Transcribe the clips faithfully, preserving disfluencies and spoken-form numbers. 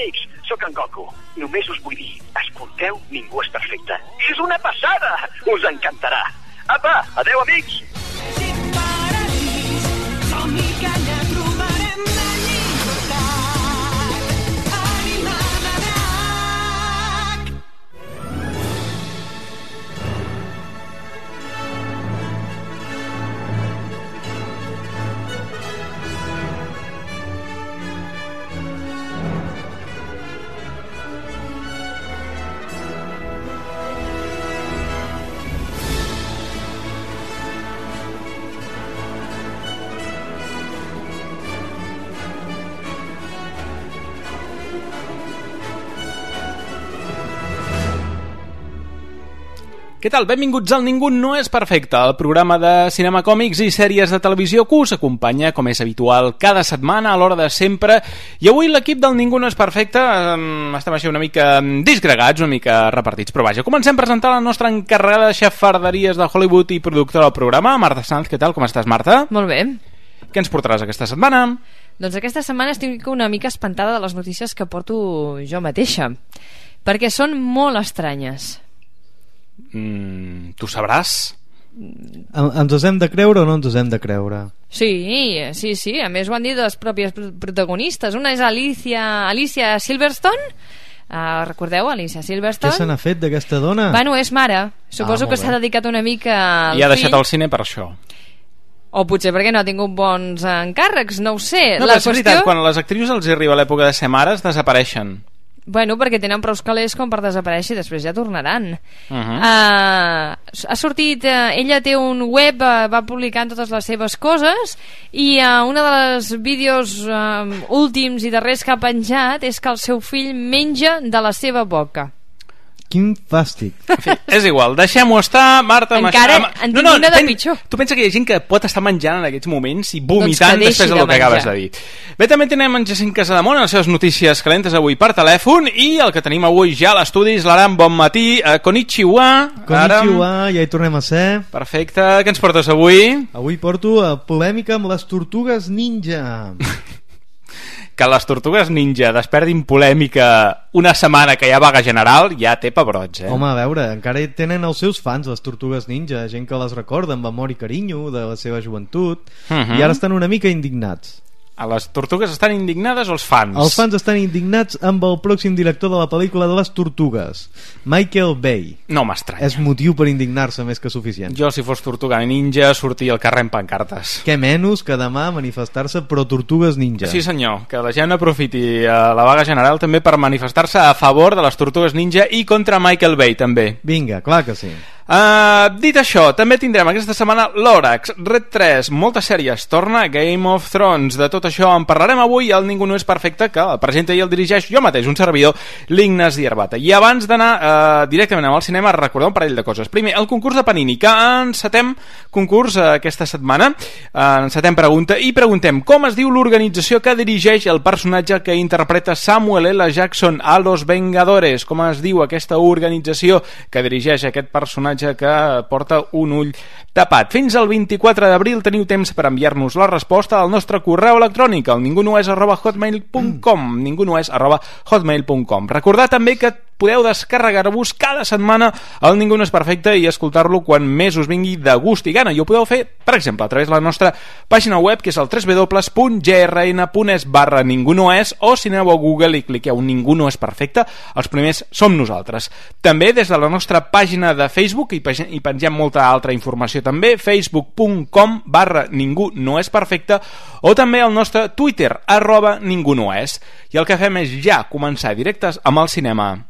amics, sóc en Goku. Només us vull dir, escolteu Ningú és perfecte. És una passada! Us encantarà. Apa, adeu, amics! Què tal? Benvinguts al Ningú no és perfecte, el programa de cinema, còmics i sèries de televisió que us acompanya, com és habitual, cada setmana a l'hora de sempre. I avui l'equip del Ningú no és perfecte um, estem així una mica disgregats, una mica repartits, però vaja, comencem a presentar la nostra encarregada de xafarderies de Hollywood i productora del programa, Marta Sanz. Què tal? Com estàs, Marta? Molt bé. Què ens portaràs aquesta setmana? Doncs aquesta setmana estic una mica espantada de les notícies que porto jo mateixa, perquè són molt estranyes. Mm, tu sabràs? Ens els hem de creure o no ens els hem de creure? Sí, sí, sí. A més ho han dit les pròpies protagonistes. Una és Alicia, Alicia Silverstone. Uh, recordeu, Alicia Silverstone? Què se n'ha fet d'aquesta dona? Bueno, és mare. Suposo ah, que s'ha dedicat una mica al I ha fill. deixat el cine per això. O potser perquè no ha tingut bons encàrrecs, no ho sé. No, La però és qüestió... veritat, quan a les actrius els arriba l'època de ser mares, desapareixen. Bueno, perquè tenen prou calés com per desaparèixer i després ja tornaran. Uh -huh. uh, ha sortit, uh, ella té un web, uh, va publicant totes les seves coses i uh, una de les vídeos uh, últims i darrers que ha penjat és que el seu fill menja de la seva boca. Quin fàstic. En fi, és igual, deixem-ho estar, Marta. Encara en tinc una de pitjor. Tu pensa que hi ha gent que pot estar menjant en aquests moments i vomitant doncs després del de que acabes de dir. Bé, també tenem en Jacint Casademont en les seves notícies calentes avui per telèfon i el que tenim avui ja a l'estudi és l'Aram. Bon matí, uh, konnichiwa. Konnichiwa, ja hi tornem a ser. Perfecte, què ens portes avui? Avui porto a polèmica amb les tortugues ninja. Que les tortugues ninja despertin polèmica una setmana que hi ha vaga general ja té pebrots, eh? Home, a veure, encara tenen els seus fans les tortugues ninja, gent que les recorda amb amor i carinyo de la seva joventut, uh -huh. i ara estan una mica indignats. A les tortugues estan indignades o els fans? Els fans estan indignats amb el pròxim director de la pel·lícula de les tortugues, Michael Bay. No m'estranya. És motiu per indignar-se més que suficient. Jo, si fos tortuga ninja, sortia al carrer amb pancartes. Què menys que demà manifestar-se pro tortugues ninja. Sí, senyor, que la gent aprofiti a la vaga general també per manifestar-se a favor de les tortugues ninja i contra Michael Bay, també. Vinga, clar que sí. Uh, dit això, també tindrem aquesta setmana l'Òrax, Red tres, moltes sèries, torna Game of Thrones. De tot això en parlarem avui al Ningú no és perfecte, que el presenta i el dirigeix jo mateix, un servidor, l'Ignasi Arbata. I abans d'anar uh, directament al cinema, recordar un parell de coses. Primer, el concurs de Panini, que encetem concurs uh, aquesta setmana, uh, encetem pregunta, i preguntem com es diu l'organització que dirigeix el personatge que interpreta Samuel L. Jackson a Los Vengadores. Com es diu aquesta organització que dirigeix aquest personatge que porta un ull tapat. Fins al vint-i-quatre d'abril teniu temps per enviar-nos la resposta al nostre correu electrònic al ningunoes arroba hotmail punt com ningunoes arroba hotmail punt com. Recordar també que podeu descarregar-vos cada setmana el Ningú no és perfecte i escoltar-lo quan més us vingui de gust i gana. I ho podeu fer, per exemple, a través de la nostra pàgina web, que és el w w w punt g r n punt es barra ningú no és, o si aneu a Google i cliqueu Ningú no és perfecte, els primers som nosaltres. També des de la nostra pàgina de Facebook, i hi pengem molta altra informació també, facebook punt com barra ningú no és perfecte, o també el nostre Twitter, arroba ningú no és. I el que fem és ja començar directes amb el cinema.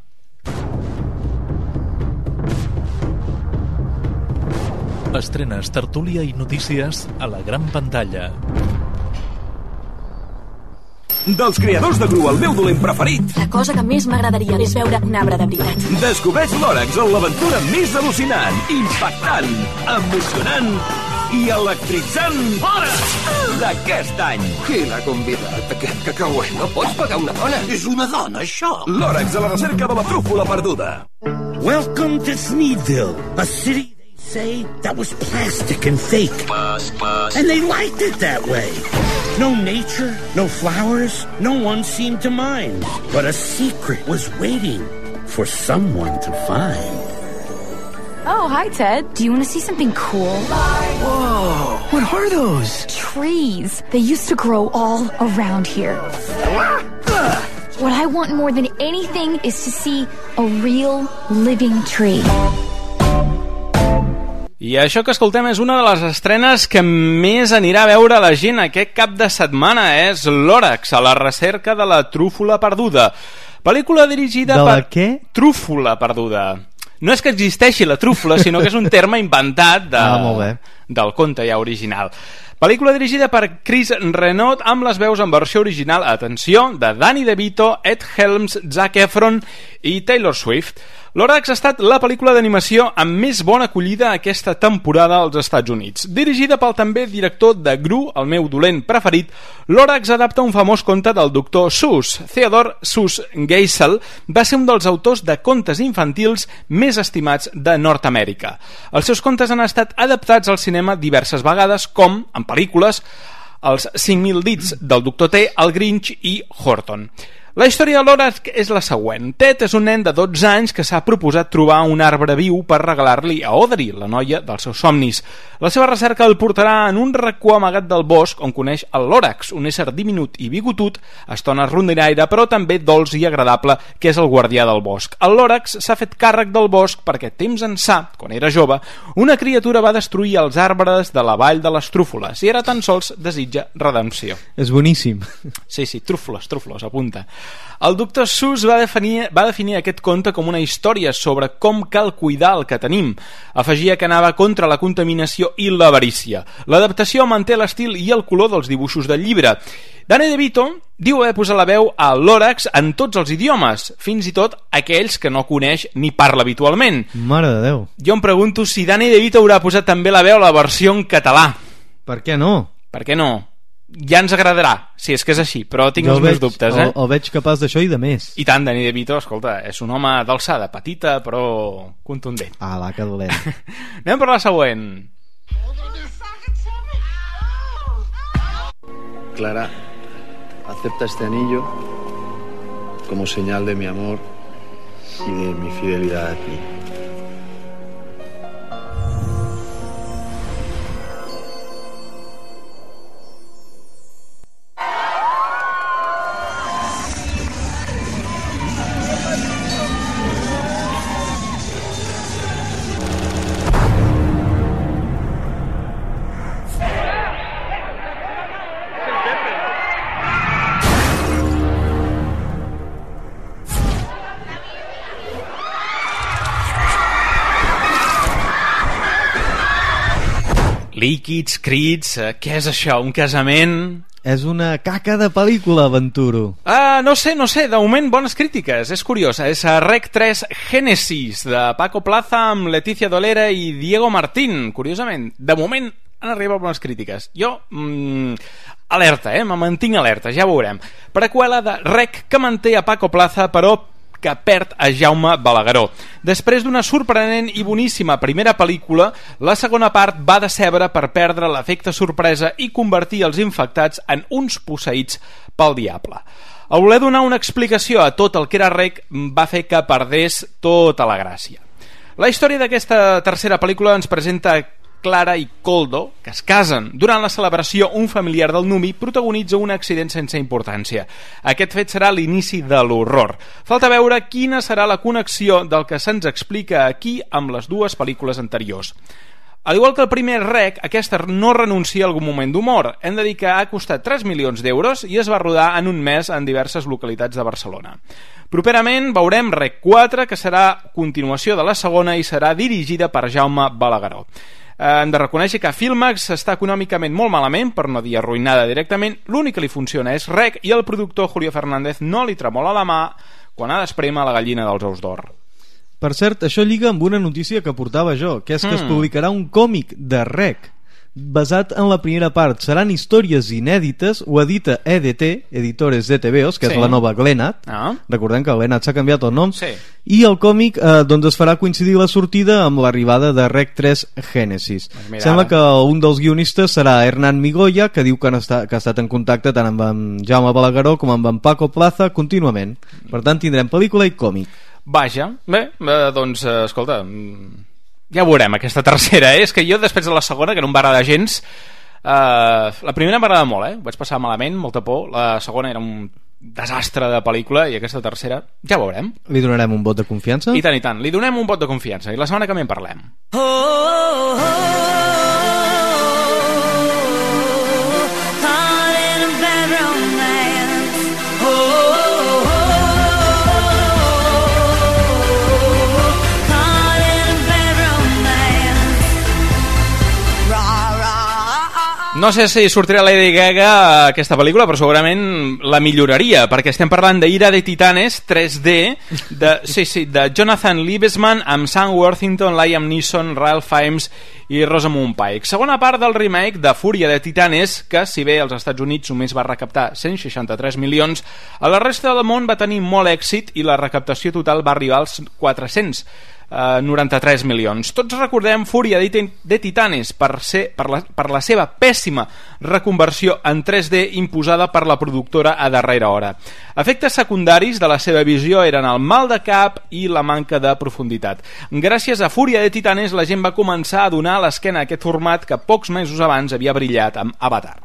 Estrenes, tertúlia i notícies a la gran pantalla. Dels creadors de Gru, el meu dolent preferit. La cosa que més m'agradaria és veure un arbre de veritat. Descobreix l'Òrax en l'aventura més al·lucinant, impactant, emocionant i electritzant d'aquest any. Qui l'ha convidat? Aquest cacauet no pots pagar una dona. És una dona, això. L'Òrax a la recerca de la trúfola perduda. Welcome to Sneedville, a city... Say that was plastic and fake. And they liked it that way. No nature, no flowers, no one seemed to mind. But a secret was waiting for someone to find. Oh, hi, Ted. Do you want to see something cool? Whoa, what are those? Trees. They used to grow all around here. What I want more than anything is to see a real living tree. I això que escoltem és una de les estrenes que més anirà a veure la gent aquest cap de setmana. És Lorax, a la recerca de la trúfola perduda. Pel·lícula dirigida de la per... què? Trúfola perduda. No és que existeixi la trúfola, sinó que és un terme inventat de... ah, molt bé. del conte ja original. Pel·lícula dirigida per Chris Renaud amb les veus en versió original, atenció, de Danny DeVito, Ed Helms, Zac Efron i Taylor Swift. Lorax ha estat la pel·lícula d'animació amb més bona acollida aquesta temporada als Estats Units. Dirigida pel també director de Gru, el meu dolent preferit, Lorax adapta un famós conte del doctor Seuss. Theodore Seuss Geisel va ser un dels autors de contes infantils més estimats de Nord-Amèrica. Els seus contes han estat adaptats al cinema diverses vegades, com, en pel·lícules, els cinc mil dits del doctor T, el Grinch i Horton. La història de Lorax és la següent. Ted és un nen de dotze anys que s'ha proposat trobar un arbre viu per regalar-li a Audrey, la noia dels seus somnis. La seva recerca el portarà en un racó amagat del bosc on coneix el Lorax, un ésser diminut i bigotut, a estones rondinaire, però també dolç i agradable, que és el guardià del bosc. El Lorax s'ha fet càrrec del bosc perquè temps ençà, quan era jove, una criatura va destruir els arbres de la vall de les trúfoles i ara tan sols desitja redempció. És boníssim. Sí, sí, trúfoles, trúfoles, apunta. El doctor Seuss va definir, va definir aquest conte com una història sobre com cal cuidar el que tenim. Afegia que anava contra la contaminació i l'avarícia. L'adaptació manté l'estil i el color dels dibuixos del llibre. Danny DeVito diu haver posat la veu a Lorax en tots els idiomes, fins i tot aquells que no coneix ni parla habitualment. Mare de Déu. Jo em pregunto si Danny DeVito haurà posat també la veu a la versió en català. Per què no? Per què no? Ja ens agradarà, si és que és així, però tinc jo els veig, meus dubtes, eh? El, el veig capaç d'això i de més. I tant, Danny DeVito, escolta, és un home d'alçada, petita, però contundent. Ah, la que dolent. Anem per la següent. Clara, acepta este anillo como señal de mi amor y de mi fidelidad a ti. Líquids, crits, eh, què és això? Un casament? És una caca de pel·lícula, aventuro. Ah, no sé, no sé, de moment bones crítiques, és curiosa. És a Rec tres Génesis, de Paco Plaza amb Leticia Dolera i Diego Martín, curiosament. De moment han arribat bones crítiques. Jo, mmm, alerta, eh, me mantinc alerta, ja veurem. Preqüela de Rec que manté a Paco Plaza, però que perd a Jaume Balagueró. Després d'una sorprenent i boníssima primera pel·lícula, la segona part va decebre per perdre l'efecte sorpresa i convertir els infectats en uns posseïts pel diable. El voler donar una explicació a tot el que era Rec va fer que perdés tota la gràcia. La història d'aquesta tercera pel·lícula ens presenta Clara i Koldo, que es casen. Durant la celebració, un familiar del nuvi protagonitza un accident sense importància. Aquest fet serà l'inici de l'horror. Falta veure quina serà la connexió del que se'ns explica aquí amb les dues pel·lícules anteriors. Al igual que el primer Rec, aquesta no renuncia a algun moment d'humor. Hem de dir que ha costat tres milions d'euros i es va rodar en un mes en diverses localitats de Barcelona. Properament veurem Rec quatre, que serà continuació de la segona i serà dirigida per Jaume Balagueró. Hem de reconèixer que Filmax està econòmicament molt malament, per no dir arruïnada directament. L'únic que li funciona és Rec i el productor Julio Fernández no li tremola la mà quan ha d'espremar la gallina dels ous d'or. Per cert, això lliga amb una notícia que portava jo, que és que mm. es publicarà un còmic de Rec basat en la primera part. Seran històries inèdites, ho edita E D T, Editores de T V Os, que sí. és la nova Glenat. Ah. Recordem que Glenat s'ha canviat el nom. Sí. I el còmic eh, doncs es farà coincidir la sortida amb l'arribada de Rec tres Genesis. Pues Sembla que un dels guionistes serà Hernán Migoya, que diu que, està, que ha estat en contacte tant amb en Jaume Balagueró com amb en Paco Plaza contínuament. Per tant, tindrem pel·lícula i còmic. Vaja, bé, eh, doncs, eh, escolta, ja veurem aquesta tercera, eh? És que jo després de la segona, que no em va agradar gens, eh, la primera m'agrada molt, eh? Vaig passar malament, molta por, la segona era un desastre de pel·lícula i aquesta tercera ja veurem. Li donarem un vot de confiança? I tant, i tant, li donem un vot de confiança i la setmana que també en parlem. Oh, oh, oh, No sé si sortirà Lady Gaga a aquesta pel·lícula, però segurament la milloraria, perquè estem parlant d'Ira de Titanes tres D, de, sí, sí, de Jonathan Liebesman amb Sam Worthington, Liam Neeson, Ralph Fiennes i Rosamund Pike. Segona part del remake de Fúria de Titanes, que si bé als Estats Units només va recaptar cent seixanta-tres milions, a la resta del món va tenir molt èxit i la recaptació total va arribar als quatre-cents noranta-tres milions. Tots recordem Fúria de Titanes per, ser, per, la, per la seva pèssima reconversió en tres D imposada per la productora a darrera hora. Efectes secundaris de la seva visió eren el mal de cap i la manca de profunditat. Gràcies a Fúria de Titanes la gent va començar a donar l'esquena a aquest format que pocs mesos abans havia brillat amb Avatar.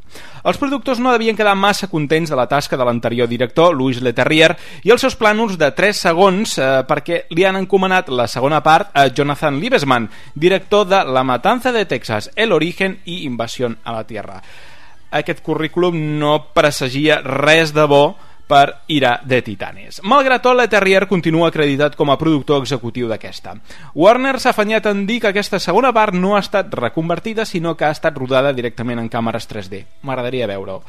Els productors no devien quedar massa contents de la tasca de l'anterior director, Louis Leterrier, i els seus plànols de tres segons eh, perquè li han encomanat la segona part a Jonathan Liebesman, director de La Matanza de Texas, El Origen i Invasión a la Tierra. Aquest currículum no presagia res de bo per Ira de Titanes. Malgrat tot, Leterrier continua acreditat com a productor executiu d'aquesta. Warner s'ha afanyat en dir que aquesta segona part no ha estat reconvertida, sinó que ha estat rodada directament en càmeres tres D. M'agradaria veure-ho.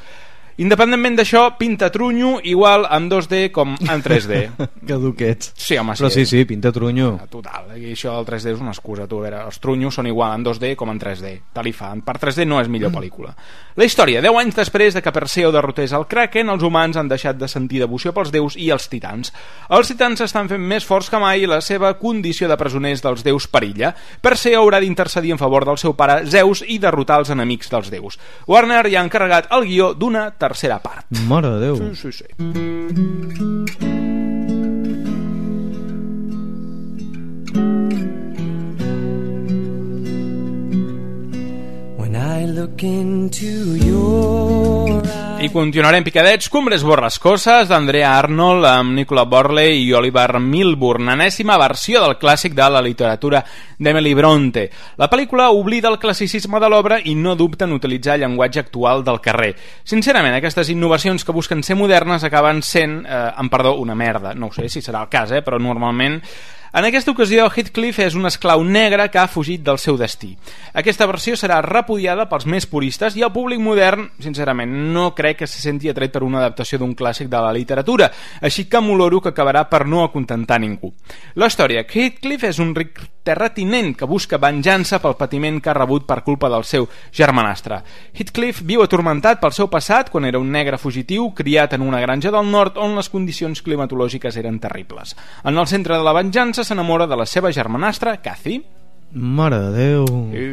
Independentment d'això, pinta trunyo igual en dos D com en tres D. Caduquets. Sí, home, sí. Però sí, sí, pinta trunyo. Total, i això del tres D és una excusa, tu. A veure, els trunyos són igual en dos D com en tres D. Tal i fa. Per tres D no és millor pel·lícula. La història, deu anys després de que Perseo derrotés el Kraken, els humans han deixat de sentir devoció pels déus i els titans. Els titans estan fent més forts que mai i la seva condició de presoners dels déus perilla. Perseo haurà d'intercedir en favor del seu pare Zeus i derrotar els enemics dels déus. Warner ja ha encarregat el guió d'una tercera part. Mare de Déu. Sí, sí, sí. When I look into your eyes. I continuarem picadets. Cumbres borrascoses d'Andrea Arnold amb Nicola Borley i Oliver Milburn, enèsima versió del clàssic de la literatura d'Emily Bronte. La pel·lícula oblida el classicisme de l'obra i no dubta en utilitzar llenguatge actual del carrer. Sincerament, aquestes innovacions que busquen ser modernes acaben sent, eh, amb perdó, una merda. No ho sé si serà el cas, eh, però normalment... En aquesta ocasió, Heathcliff és un esclau negre que ha fugit del seu destí. Aquesta versió serà repudiada pels més puristes i el públic modern, sincerament, no crec que se senti atret per una adaptació d'un clàssic de la literatura, així que m'oloro que acabarà per no acontentar ningú. La història, Heathcliff és un ric terratinent que busca venjança pel patiment que ha rebut per culpa del seu germanastre. Heathcliff viu atormentat pel seu passat quan era un negre fugitiu criat en una granja del nord on les condicions climatològiques eren terribles. En el centre de la venjança s'enamora de la seva germanastra, Cathy. Mare de Déu. I...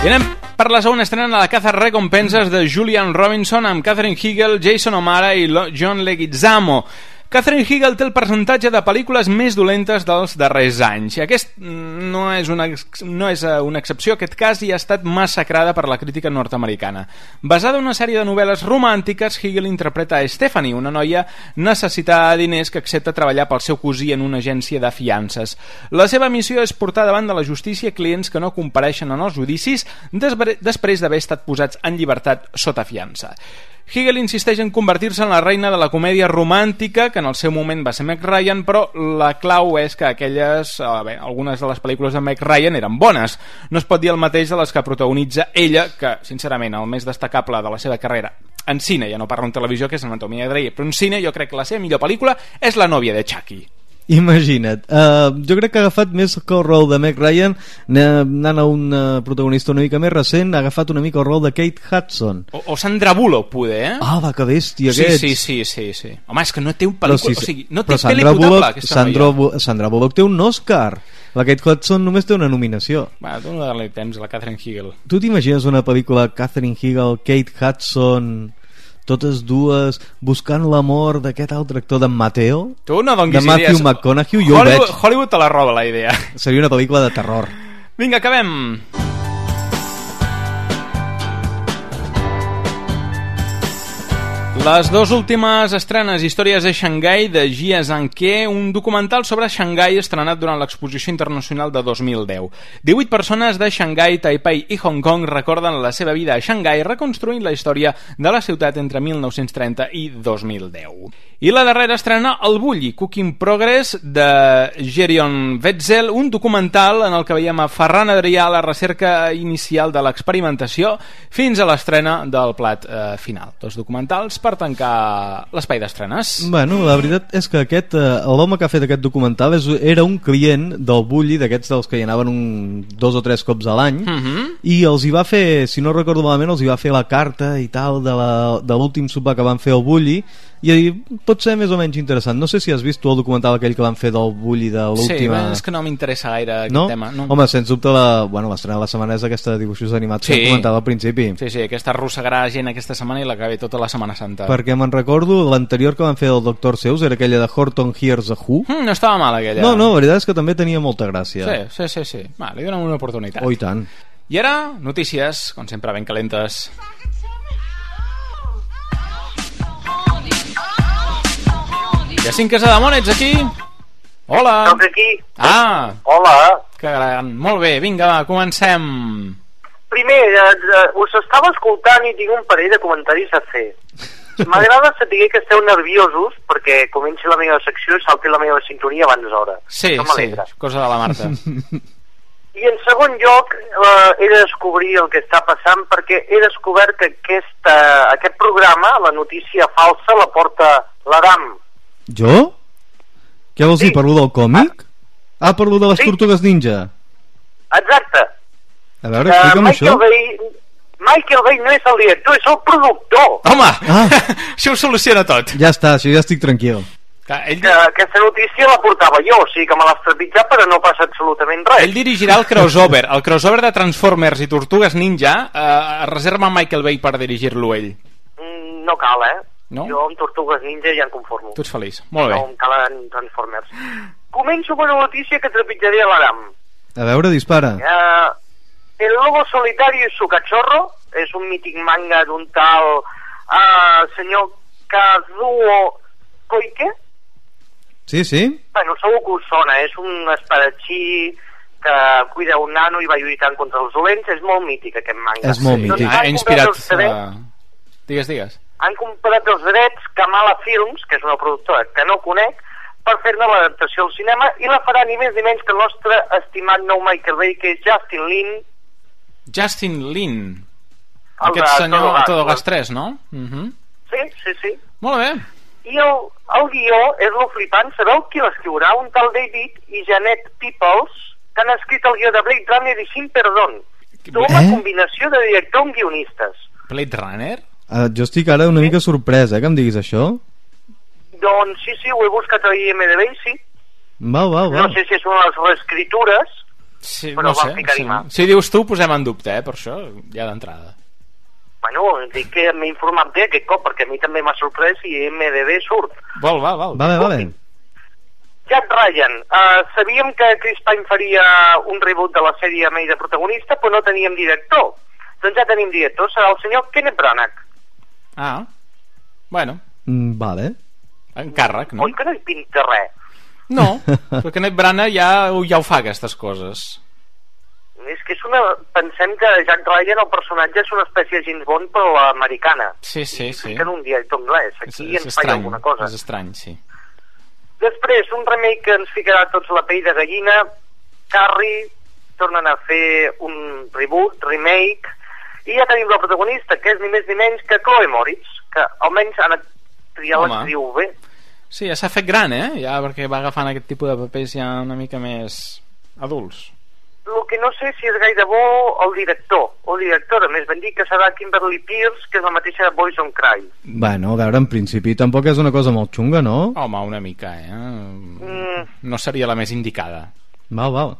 I anem per la segona estrena de la caza recompenses de Julian Robinson amb Catherine Hegel, Jason O'Mara i John Leguizamo. Catherine Hegel té el percentatge de pel·lícules més dolentes dels darrers anys. I aquest no és una, no és una excepció. Aquest cas ja ha estat massacrada per la crítica nord-americana. Basada en una sèrie de novel·les romàntiques, Hegel interpreta a Stephanie, una noia necessitada de diners que accepta treballar pel seu cosí en una agència de fiances. La seva missió és portar davant de la justícia clients que no compareixen en els judicis després d'haver estat posats en llibertat sota fiança. Hegel insisteix en convertir-se en la reina de la comèdia romàntica, que en el seu moment va ser Meg Ryan, però la clau és que aquelles, eh, bé, algunes de les pel·lícules de Meg Ryan eren bones. No es pot dir el mateix de les que protagonitza ella, que, sincerament, el més destacable de la seva carrera en cine, ja no parlo en televisió, que és Anatomia de Grey, però en cine jo crec que la seva millor pel·lícula és La nòvia de Chucky. Imagina't, uh, jo crec que ha agafat més que el rol de Meg Ryan, anant a un uh, protagonista una mica més recent, ha agafat una mica el rol de Kate Hudson o, o Sandra Bullock, poder, eh? Ah, va, que bèstia sí, aquests. Sí, sí, sí, sí. Home, és que no té un pel·lícula, sí, o sigui, no té Sandra pel·li potable Bullock, Sandra, Sandra Bullock té un Oscar, la Kate Hudson només té una nominació. Va, tu no dale temps a la Catherine Hegel. Tu t'imagines una pel·lícula Catherine Hegel, Kate Hudson, totes dues buscant l'amor d'aquest altre actor d'en Mateo, tu no donguis de Matthew idees. McConaughey, jo Hollywood, ho veig. Hollywood te la roba la idea. Seria una pel·lícula de terror. Vinga, acabem. Les dues últimes estrenes, Històries de Xangai, de Jia Zhangke, un documental sobre Xangai estrenat durant l'Exposició Internacional de dos mil deu. divuit persones de Xangai, Taipei i Hong Kong recorden la seva vida a Xangai reconstruint la història de la ciutat entre mil nou-cents trenta i dos mil deu. I la darrera estrena, El Bulli, Cooking Progress, de Gerion Wetzel, un documental en el que veiem a Ferran Adrià a la recerca inicial de l'experimentació fins a l'estrena del plat eh, final. Dos documentals per tancar l'espai d'estrenes. Bueno, la veritat és que aquest eh, l'home que ha fet aquest documental és, era un client del Bulli, d'aquests dels que hi anaven un, dos o tres cops a l'any, uh -huh. i els hi va fer, si no recordo malament, els hi va fer la carta i tal de, la, de l'últim sopar que van fer al Bulli, i pot ser més o menys interessant. No sé si has vist tu el documental aquell que van fer del Bulli de l'última... Sí, és que no m'interessa gaire aquest no? tema. No? Home, sens dubte la... bueno, l'estrena de la setmana és aquesta de dibuixos animats sí. que hem comentat al principi. Sí, sí, aquesta arrossegarà gent aquesta setmana i la que ve tota la Setmana Santa. Perquè me'n recordo, l'anterior que van fer del Doctor Seuss era aquella de Horton Hears a Who. Mm, no estava mal aquella. No, no, la veritat és que també tenia molta gràcia. Sí, sí, sí, sí. Va, li donem una oportunitat. Oh, i tant. I ara, notícies, com sempre, ben calentes. Jacint Casademont, ets aquí? Hola. Soc aquí. Ah. Hola. Que gran. Molt bé, vinga, va, comencem. Primer, eh, us estava escoltant i tinc un parell de comentaris a fer. M'agrada saber que esteu nerviosos perquè comenci la meva secció i salti la meva sintonia abans d'hora. Sí, sí, cosa de la Marta. I en segon lloc, eh, he de descobrir el que està passant perquè he descobert que aquesta, aquest programa, la notícia falsa, la porta l'Adam. Jo? Què vols sí. dir, per lo del còmic? Ah, ah per lo de les sí. tortugues ninja. Exacte. A veure, explica'm uh, això. Bay, Michael Bay no és el director, és el productor. Home, ah. això ho soluciona tot. Ja està, això ja estic tranquil. Que ell... que, aquesta notícia la portava jo, o sigui que me l'has trepitjat però no passa absolutament res. Ell dirigirà el crossover, el crossover de Transformers i Tortugues Ninja. eh, reserva Michael Bay per dirigir-lo ell. Mm, no cal, eh? No? Jo amb Tortugues Ninja ja em conformo. Tu ets feliç, molt bé. No em calen Transformers. Començo amb una notícia que trepitjaré a l'Adam. A veure, dispara. Uh, el lobo solitario y su cachorro és un mític manga d'un tal uh, senyor Kazuo Koike. Sí, sí. Bueno, segur que us sona, és un espadatxí que cuida un nano i va lluitant contra els dolents. És molt mític aquest manga. És molt mític. Ha inspirat... Uh... Digues, digues. Han comprat els drets Kamala Films, que és una productora que no conec, per fer-ne l'adaptació al cinema, i la farà ni més ni menys que el nostre estimat nou Michael Bay, que és Justin Lin. Justin Lin. El Aquest senyor a Todo Gas tres, no? Uh -huh. Sí, sí, sí. Molt bé. I el, el guió és lo flipant. Sabeu qui l'escriurà? Un tal David i Janet Peoples, que han escrit el guió de Blade Runner i Sin Perdón. Tota una Eh? combinació de director amb guionistes. Blade Runner? Uh, jo estic ara una mica sorprès, eh, que em diguis això. Doncs sí, sí, ho he buscat a I M D B i sí. Val, val, val. No sé si són les reescritures, Sí, però no van sé. ficar-hi Sí. mà. Si dius tu, posem en dubte, eh, per això, ja d'entrada. Bueno, dic que m'he informat bé aquest cop, perquè a mi també m'ha sorprès i I M D B surt. Val, val, val. Vale, vale. Jack Ryan. Uh, sabíem que Chris Pine faria un reboot de la sèrie amb ell de protagonista, però no teníem director. Doncs ja tenim director, serà el senyor Kenneth Branagh. Ah, bueno. Mm, vale. Encàrrec, no? Oi que no hi pinta res? No, però Kenneth Branagh ja, ja ho fa, aquestes coses. És que és una... Pensem que Jack Ryan, el personatge, és una espècie de James Bond, però americana. Sí, sí, sí. Que en un director anglès. Aquí És, és ens falla estrany, alguna cosa. és estrany, sí. Després, un remake que ens ficarà tots la pell de gallina. Carrie, tornen a fer un reboot, remake, i ja tenim la protagonista, que és ni més ni menys que Chloe Moritz. que almenys han triat l'actriu bé. Sí, ja s'ha fet gran, eh? Ja perquè va agafant aquest tipus de papers ja una mica més adults. El que no sé si és gaire bo el director, o directora, més ben dit que serà Kimberly Pierce, que és la mateixa de Boys on Cry. Bueno, a veure, en principi tampoc és una cosa molt xunga, no? Home, una mica, eh? Mm. No seria la més indicada. Val, val.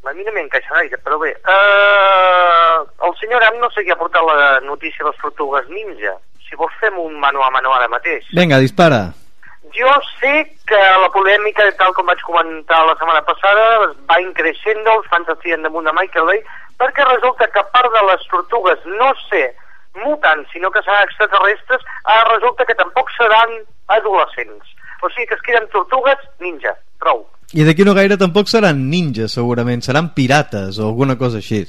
A mi no m'encaixa gaire, però bé. Uh, el senyor Am no sé qui ha portat la notícia de les tortugues ninja. Si vols fem un mano a mano ara mateix. Vinga, dispara. Jo sé que la polèmica, tal com vaig comentar la setmana passada, va increixent, els fans estien damunt de Michael Bay, perquè resulta que a part de les tortugues no ser mutants, sinó que seran extraterrestres, ara resulta que tampoc seran adolescents. O sigui que es queden tortugues ninja, prou. I d'aquí no gaire tampoc seran ninjas, segurament. Seran pirates o alguna cosa així.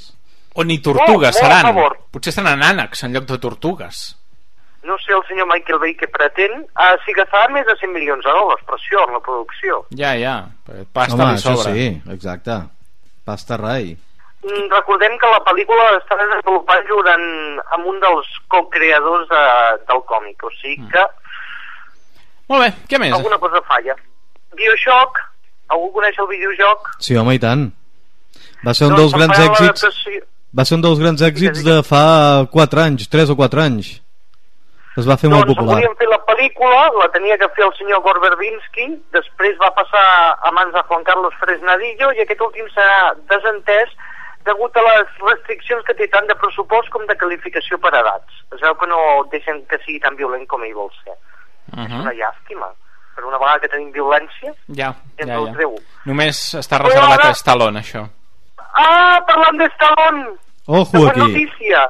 O ni tortugues oh, seran. Favor. Potser seran ànecs en lloc de tortugues. No sé el senyor Michael Bay què pretén. Uh, si gastarà més de cent milions de dòlars per això, en la producció. Ja, ja. Pasta Home, li sobra. sí, exacte. Pasta rai. Mm, recordem que la pel·lícula està desenvolupant durant amb un dels co-creadors de, del còmic. O sigui que... Molt bé, què més? Alguna cosa falla. BioShock... Algú coneix el videojoc? Sí, home, i tant. Va ser un doncs dels grans èxits... Va ser un dels grans èxits de fa quatre anys, tres o quatre anys. Es va fer doncs molt popular. Doncs volíem fer la pel·lícula, la tenia que fer el senyor Gore Verbinski, després va passar a mans de Juan Carlos Fresnadillo i aquest últim s'ha desentès degut a les restriccions que té tant de pressupost com de qualificació per edats. Es veu que no deixen que sigui tan violent com ell vol ser. Uh -huh. És una llàstima. Per una vegada que tenim violència, ja, ja, ja. Treu. Només està reservat ara... a Stallone, això. Ah, parlant de Stallone! Ojo aquí! Notícia.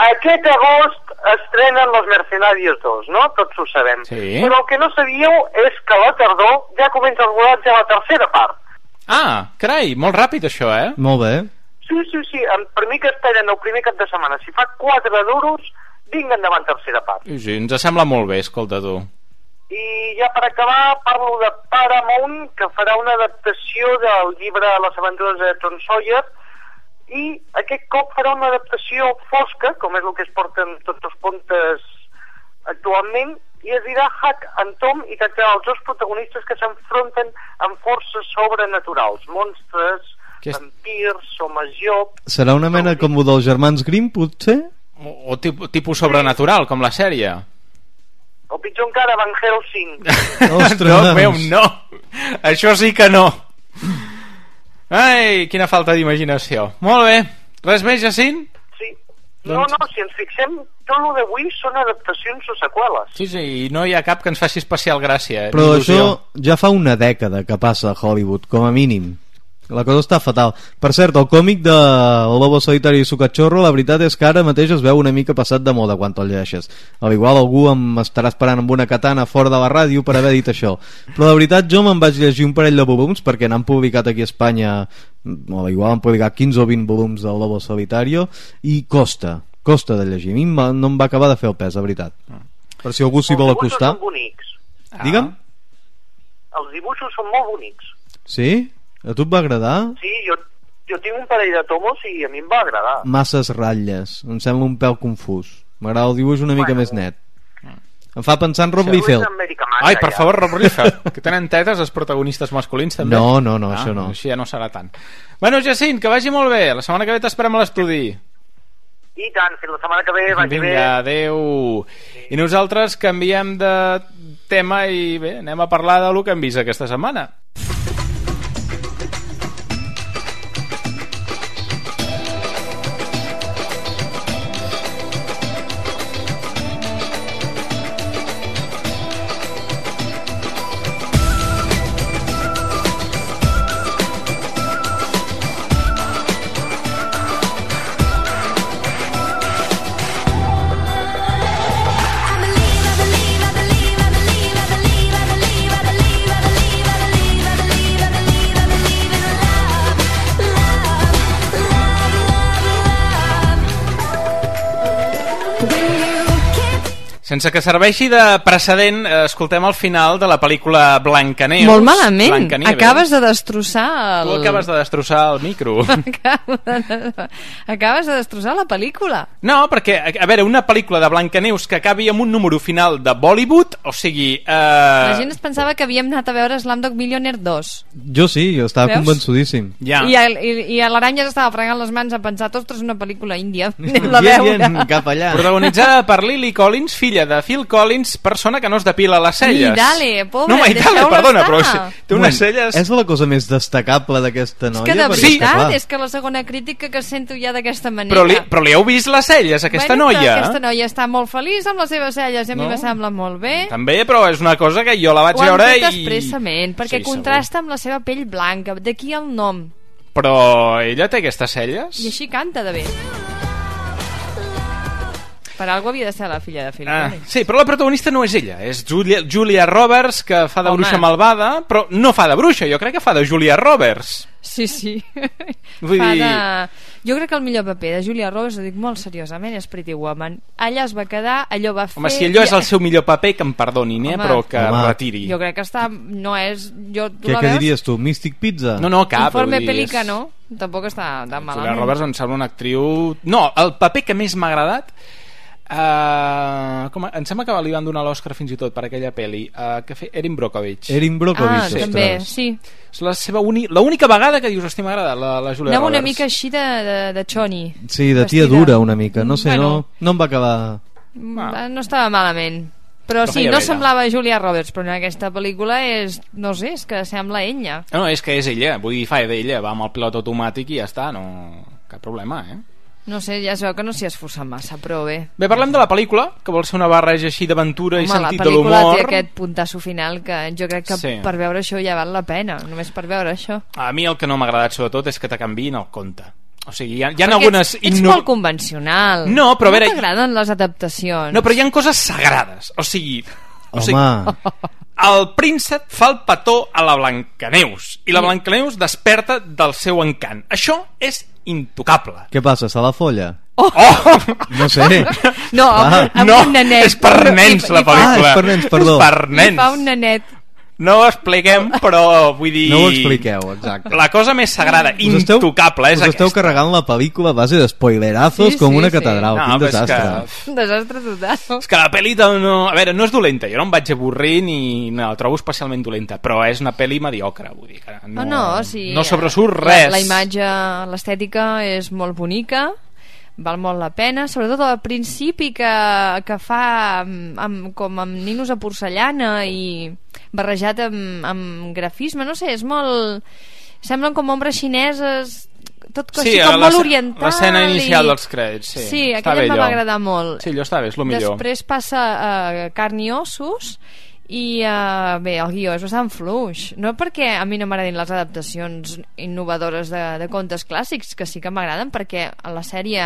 Aquest agost estrenen Los Mercenarios dos, no? Tots ho sabem. Sí. Però el que no sabíeu és que a la tardor ja comença el rodatge a la tercera part. Ah, carai, molt ràpid això, eh? Molt bé. Sí, sí, sí. Per mi que esperen el primer cap de setmana. Si fa quatre duros, vinga endavant tercera part. Sí, sí, ens sembla molt bé, escolta tu. I ja per acabar parlo de Paramount, que farà una adaptació del llibre Les aventures de Tom Sawyer, i aquest cop farà una adaptació fosca, com és el que es porten tots els contes actualment, i es dirà Huck and Tom, i tractarà els dos protagonistes que s'enfronten amb forces sobrenaturals, monstres, és... vampirs, homes llop... Serà una mena com el dels germans Grimm, potser? O, o tipus, tipus sobrenatural, com la sèrie. O pitjor encara, Van Helsing. Ostres! No, meu, no! Això sí que no! Ai, quina falta d'imaginació. Molt bé. Res més, Jacint? Sí. No, no, si ens fixem, tot el d'avui són adaptacions o seqüeles. Sí, sí, i no hi ha cap que ens faci especial gràcia. Eh? Però això ja fa una dècada que passa a Hollywood, com a mínim. La cosa està fatal. Per cert, el còmic de El Lobo Solitari i su cachorro, la veritat és que ara mateix es veu una mica passat de moda quan te'l llegeixes. Al igual algú em estarà esperant amb una katana fora de la ràdio per haver dit això. Però de veritat jo me'n vaig llegir un parell de volums perquè n'han publicat aquí a Espanya, o igual han publicat quinze o vint volums del Lobo Solitario, i costa, costa de llegir. A mi no em va acabar de fer el pes, la veritat. Per si algú s'hi vol acostar. Els dibuixos són bonics. Ah. Digue'm? Els dibuixos són molt bonics. Sí? A tu et va agradar? Sí, jo, jo tinc un parell de tomos i a mi em va agradar. Masses ratlles, em sembla un pèl confús. M'agrada el dibuix una mica bueno. més net. Em fa pensar en Rob Liefeld. Ai, per favor, Rob Liefeld, que tenen tetes els protagonistes masculins també. No, no, no, ah, això no. Així ja no serà tant. Bueno, Jacint, que vagi molt bé. La setmana que ve t'esperem a l'estudi. I tant, fins la setmana que ve, vagi Vinga, bé. Vinga, adeu. Sí. I nosaltres canviem de tema i bé, anem a parlar de lo que hem vist aquesta setmana. I believe, I believe, I believe, I believe, I believe, I believe, I believe, I believe, I believe. Sense que serveixi de precedent, escoltem el final de la pel·lícula Blancaneus. Molt malament. Blancanieves. Acabes de destrossar el... Tu acabes de destrossar el micro. Acabes de destrossar la pel·lícula. No, perquè, a veure, una pel·lícula de Blancaneus que acabi amb un número final de Bollywood, o sigui... Eh... La gent es pensava que havíem anat a veure Slumdog Millionaire dos. Jo sí, jo estava Veus? convençudíssim. Ja. I, el, i, i l'Aranya estava fregant les mans a pensar, ostres, una pel·lícula índia. Anem-la a veure. Bien, bien, cap allà. Protagonitzada per Lily Collins, filla de Phil Collins, persona que no es depila les celles. I dale, pobre, no, mai, dale, perdona, però si, té unes Moment, celles... És la cosa més destacable d'aquesta noia. És que de perquè, veritat, clar, és que la segona crítica que sento ja d'aquesta manera. Però li, però li heu vist les celles, aquesta bueno, noia? Aquesta noia està molt feliç amb les seves celles i a mi No? me sembla molt bé. També, però és una cosa que jo la vaig Ho han veure fet i... expressament, perquè Sí, contrasta amb la seva pell blanca, d'aquí el nom. Però ella té aquestes celles? I així canta de bé. Per algú havia de ser la filla de Phil Ah, Collins. sí, però la protagonista no és ella, és Julia, Julia Roberts, que fa de Home. bruixa malvada, però no fa de bruixa, jo crec que fa de Julia Roberts. Sí, sí. Vull Fa dir- de... Jo crec que el millor paper de Julia Roberts, ho dic molt seriosament, és Pretty Woman. Allà es va quedar, allò va fer... Home, si allò és el seu millor paper, que em perdonin, eh, Home. però que Home. retiri. Jo crec que està... No és... Jo, tu Què, la què veus? diries tu? Mystic Pizza? No, no, cap. Informe vull dir, Pelica, és- no? Tampoc està tan Julia malament. Roberts em sembla una actriu... No, el paper que més m'ha agradat... Uh, com, em sembla que li van donar l'Oscar fins i tot per aquella pel·li uh, que fe Erin Brockovich. Erin Brockovich, Ah, ostres. també, sí. És la seva uni... l'única vegada que dius, hosti, m'ha agradat la, la Julia Anava Roberts. una mica així de, de, de Choni. Sí, de tia Vestida. dura una mica. No sé, Bueno. no, no em va acabar... Ah. No estava malament. Però Però sí, feia no bé, semblava Julia Roberts, però en aquesta pel·lícula és... No sé, és que sembla ella. No, és que és ella, vull dir, fa d'ella, va amb el pilot automàtic i ja està, no... cap problema, eh? No sé, ja es veu que no s'hi ha esforçat massa, però bé. Bé, parlem de la pel·lícula, que vol ser una barreja així d'aventura i Home, la sentit de pel·lícula l'humor. té aquest puntasso final que jo crec que Sí. per veure això ja val la pena, només per veure això. A mi el que no m'ha agradat sobretot és que te canviïn el conte. O sigui, hi ha, hi ha Perquè algunes... ets, ets inno- molt convencional. No, però a veure- No t'agraden les adaptacions. No, però hi ha coses sagrades. O sigui... O sigui Home, el príncep fa el petó a la Blancaneus i la Blancaneus desperta del seu encant. Això és intocable. què passa? Se la folla? Oh! No sé. No, amb, Ah, amb no, un nenet. és per nens I- la i fa- pel·lícula. Ah, és per nens, perdó. És per I nens. fa un nenet. No ho expliquem, però vull dir... No ho expliqueu, exacte. La cosa més sagrada, Us esteu- intocable, és us esteu aquesta. carregant la pel·lícula a base de spoilerazos Sí, com sí, una sí. catedral. No, Quin però és desastre. que- Un desastre total. És que la pel·li no... A veure, no és dolenta, jo no em vaig avorrir ni no, la trobo especialment dolenta, però és una pel·li mediocre, vull dir que no, No, no, sí. no sobresurt res. La, la imatge, l'estètica és molt bonica, val molt la pena, sobretot al principi que, que fa amb, amb, com amb ninos de porcellana i barrejat amb, amb grafisme, no sé, és molt... Semblen com ombres xineses, tot Sí, així com la- molt oriental. l'escena inicial i... dels crèdits, sí. Sí, Està aquella bé em allò. va agradar molt. Sí, allò està bé, és el millor. Després passa a carn i ossos i uh, bé, el guió és bastant fluix, no perquè a mi no m'agradin les adaptacions innovadores de, de contes clàssics, que sí que m'agraden, perquè a la sèrie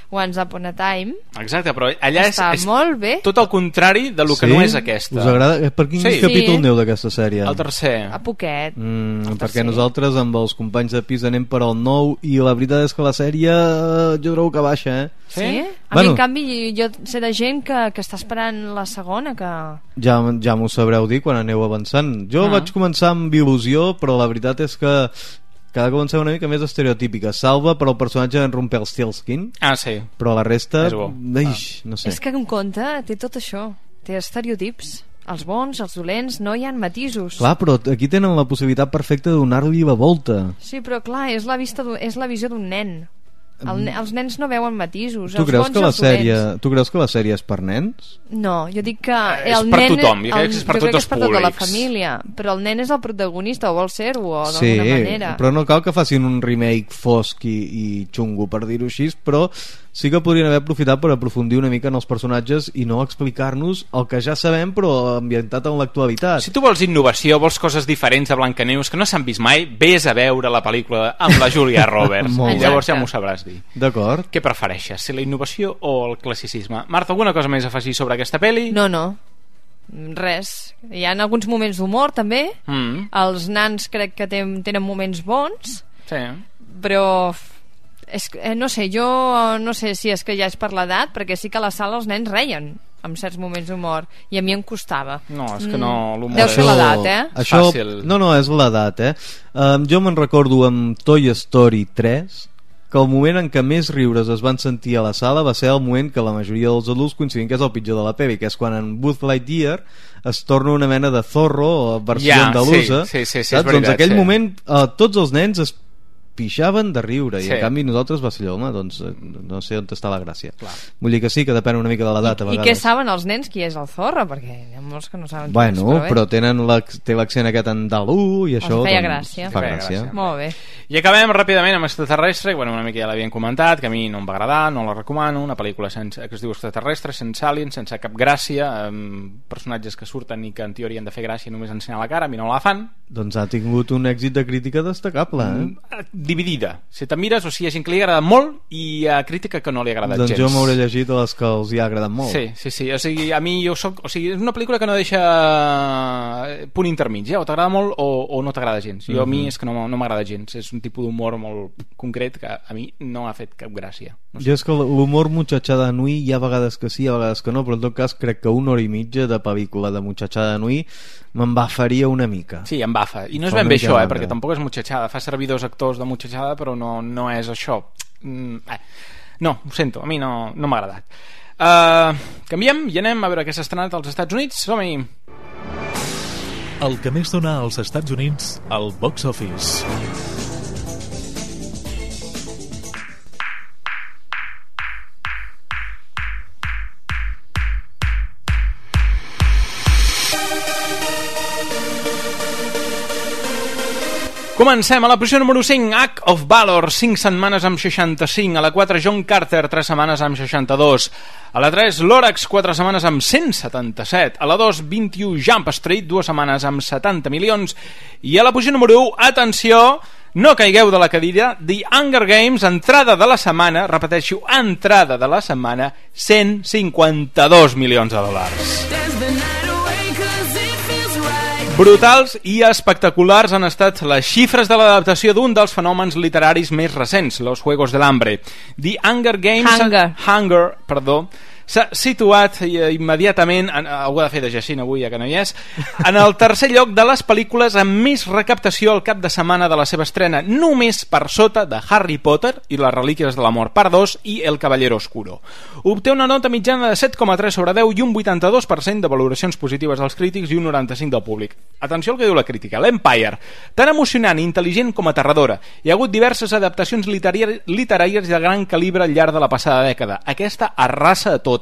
Once Upon a Time Exacte, però allà és, està és molt bé. tot el contrari de lo que Sí? no és aquesta. Us agrada? Eh, Per quin Sí. capítol Sí. aneu d'aquesta sèrie? El tercer. A poquet. Mm, El perquè tercer. nosaltres amb els companys de pis anem per al nou i la veritat és que la sèrie eh, jo trobo que baixa, eh? Sí? A Bueno. mi, en canvi, jo sé de gent que, que està esperant la segona, que... Ja, ja m'ho sabreu dir quan aneu avançant. Jo Ah. vaig començar amb il·lusió, però la veritat és que cada cop em sembla una mica més estereotípica. Salva per al personatge d'en Rumpelstiltskin, Ah, sí. però la resta... És bo. Eix, no sé. És que un conte té tot això, té estereotips. Els bons, els dolents, no hi ha matisos. Clar, però aquí tenen la possibilitat perfecta de donar-li la volta. Sí, però clar, és la, vista d'un- és la visió d'un nen. El, ne- els nens no veuen matisos. Tu els creus, bons que i la els dolents. sèrie, tu creus que la sèrie és per nens? No, jo dic que és el per nen... tothom, jo crec que és per jo tots crec que els és per tota la públics. família, però el nen és el protagonista, o vol ser-ho, Sí, d'alguna manera. però no cal que facin un remake fosc i, i xungo, per dir-ho així, però sí que podrien haver aprofitat per aprofundir una mica en els personatges i no explicar-nos el que ja sabem però ambientat en l'actualitat. Si tu vols innovació, vols coses diferents de Blancaneus que no s'han vist mai, vés a veure la pel·lícula amb la Julia Roberts. Molt I bé. llavors ja m'ho sabràs dir. D'acord. Què prefereixes, si la innovació o el classicisme? Marta, alguna cosa més a afegir sobre aquesta pel·li? No, no, res. Hi ha alguns moments d'humor, també. Mm. Els nans crec que ten, tenen moments bons, Sí. però... És, que, eh, no sé, jo no sé si és que ja és per l'edat, perquè sí que a la sala els nens reien. amb certs moments d'humor, i a mi em costava. No, és que no, l'humor Deu ser l'edat, eh? Això, fàcil. no, no, és l'edat, eh? Um, jo me'n recordo amb Toy Story tres que el moment en què més riures es van sentir a la sala va ser el moment que la majoria dels adults coincidien que és el pitjor de la pel·li, que és quan en Buzz Lightyear es torna una mena de Zorro o versió ja, andalusa, sí, sí, sí, sí, saps? és veritat, doncs aquell sí. moment eh, tots els nens es pixaven de riure, Sí. i en canvi nosaltres va ser allò, home, doncs eh, no sé on està la gràcia. Clar. Vull dir que sí, que depèn una mica de l'edat a I vegades. què saben els nens qui és el Zorro? Perquè hi ha molts que no saben qui és, Bueno, però, bé. però tenen l'ac- té l'accent aquest andalú i això Els feia doncs, gràcia. fa Feia gràcia. gràcia. Molt bé. I acabem ràpidament amb Extraterrestre, bueno, una mica ja l'havien comentat, que a mi no em va agradar, no la recomano, una pel·lícula sense, que es diu Extraterrestre, sense aliens, sense cap gràcia, amb personatges que surten i que en teoria han de fer gràcia només ensenyar la cara, a mi no la fan. Doncs ha tingut un èxit de crítica destacable, eh? Mm, dividida. Si te mires, o sigui, hi ha gent que li agrada molt i hi ha crítica que no li ha agradat Doncs gens. jo m'hauré llegit a les que els hi ha agradat molt. Sí, sí, sí, o sigui, a mi jo soc, o sigui, és una pel·lícula que no deixa punt intermig, eh? O t'agrada molt o, o no t'agrada gens. Jo a mi Mhm. és que no, no m'agrada gens, és un tipus d'humor molt concret que a mi no ha fet cap gràcia. No sé. Jo és que l'humor muchachada nui hi ha vegades que sí, hi ha vegades que no, però en tot cas crec que una hora i mitja de pel·lícula de muchachada nui m'embafaria una mica. Sí, em bafa. I no és Fa ben una bé mica això, eh? mandra. Perquè tampoc és muchachada. Fa servir dos actors de muchachada, però no, no és això. Mm, eh. No, ho sento, a mi no, no m'ha agradat. Uh, canviem i anem a veure què s'ha estrenat als Estats Units. Som-hi! El que més dona als Estats Units al box office. Comencem a la posició número cinc, Act of Valor, cinc setmanes amb seixanta-cinc. A la quatre, John Carter, tres setmanes amb seixanta-dos. A la tres, Lorax, quatre setmanes amb cent setanta-set. A la dos, vint-i-u, Jump Street, dues setmanes amb setanta milions. I a la posició número u, atenció, no caigueu de la cadira, The Hunger Games, entrada de la setmana, repeteixo, entrada de la setmana, cent cinquanta-dos milions de dòlars. Brutals i espectaculars han estat les xifres de l'adaptació d'un dels fenòmens literaris més recents, Los Juegos del Hambre. The Hunger Games... Hunger. Hunger, perdó, s'ha situat immediatament, en, algú ha de fer de Jacint avui, ja que no hi és, en el tercer lloc de les pel·lícules amb més recaptació al cap de setmana de la seva estrena, només per sota de Harry Potter i les Relíquies de l'Amor, part dos, i El Caballero Oscuro. Obté una nota mitjana de set coma tres sobre deu i un vuitanta-dos per cent de valoracions positives dels crítics i un noranta-cinc del públic. Atenció al que diu la crítica. L'Empire, tan emocionant i intel·ligent com aterradora. Hi ha hagut diverses adaptacions literàries, literàries de gran calibre al llarg de la passada dècada. Aquesta arrasa a totes.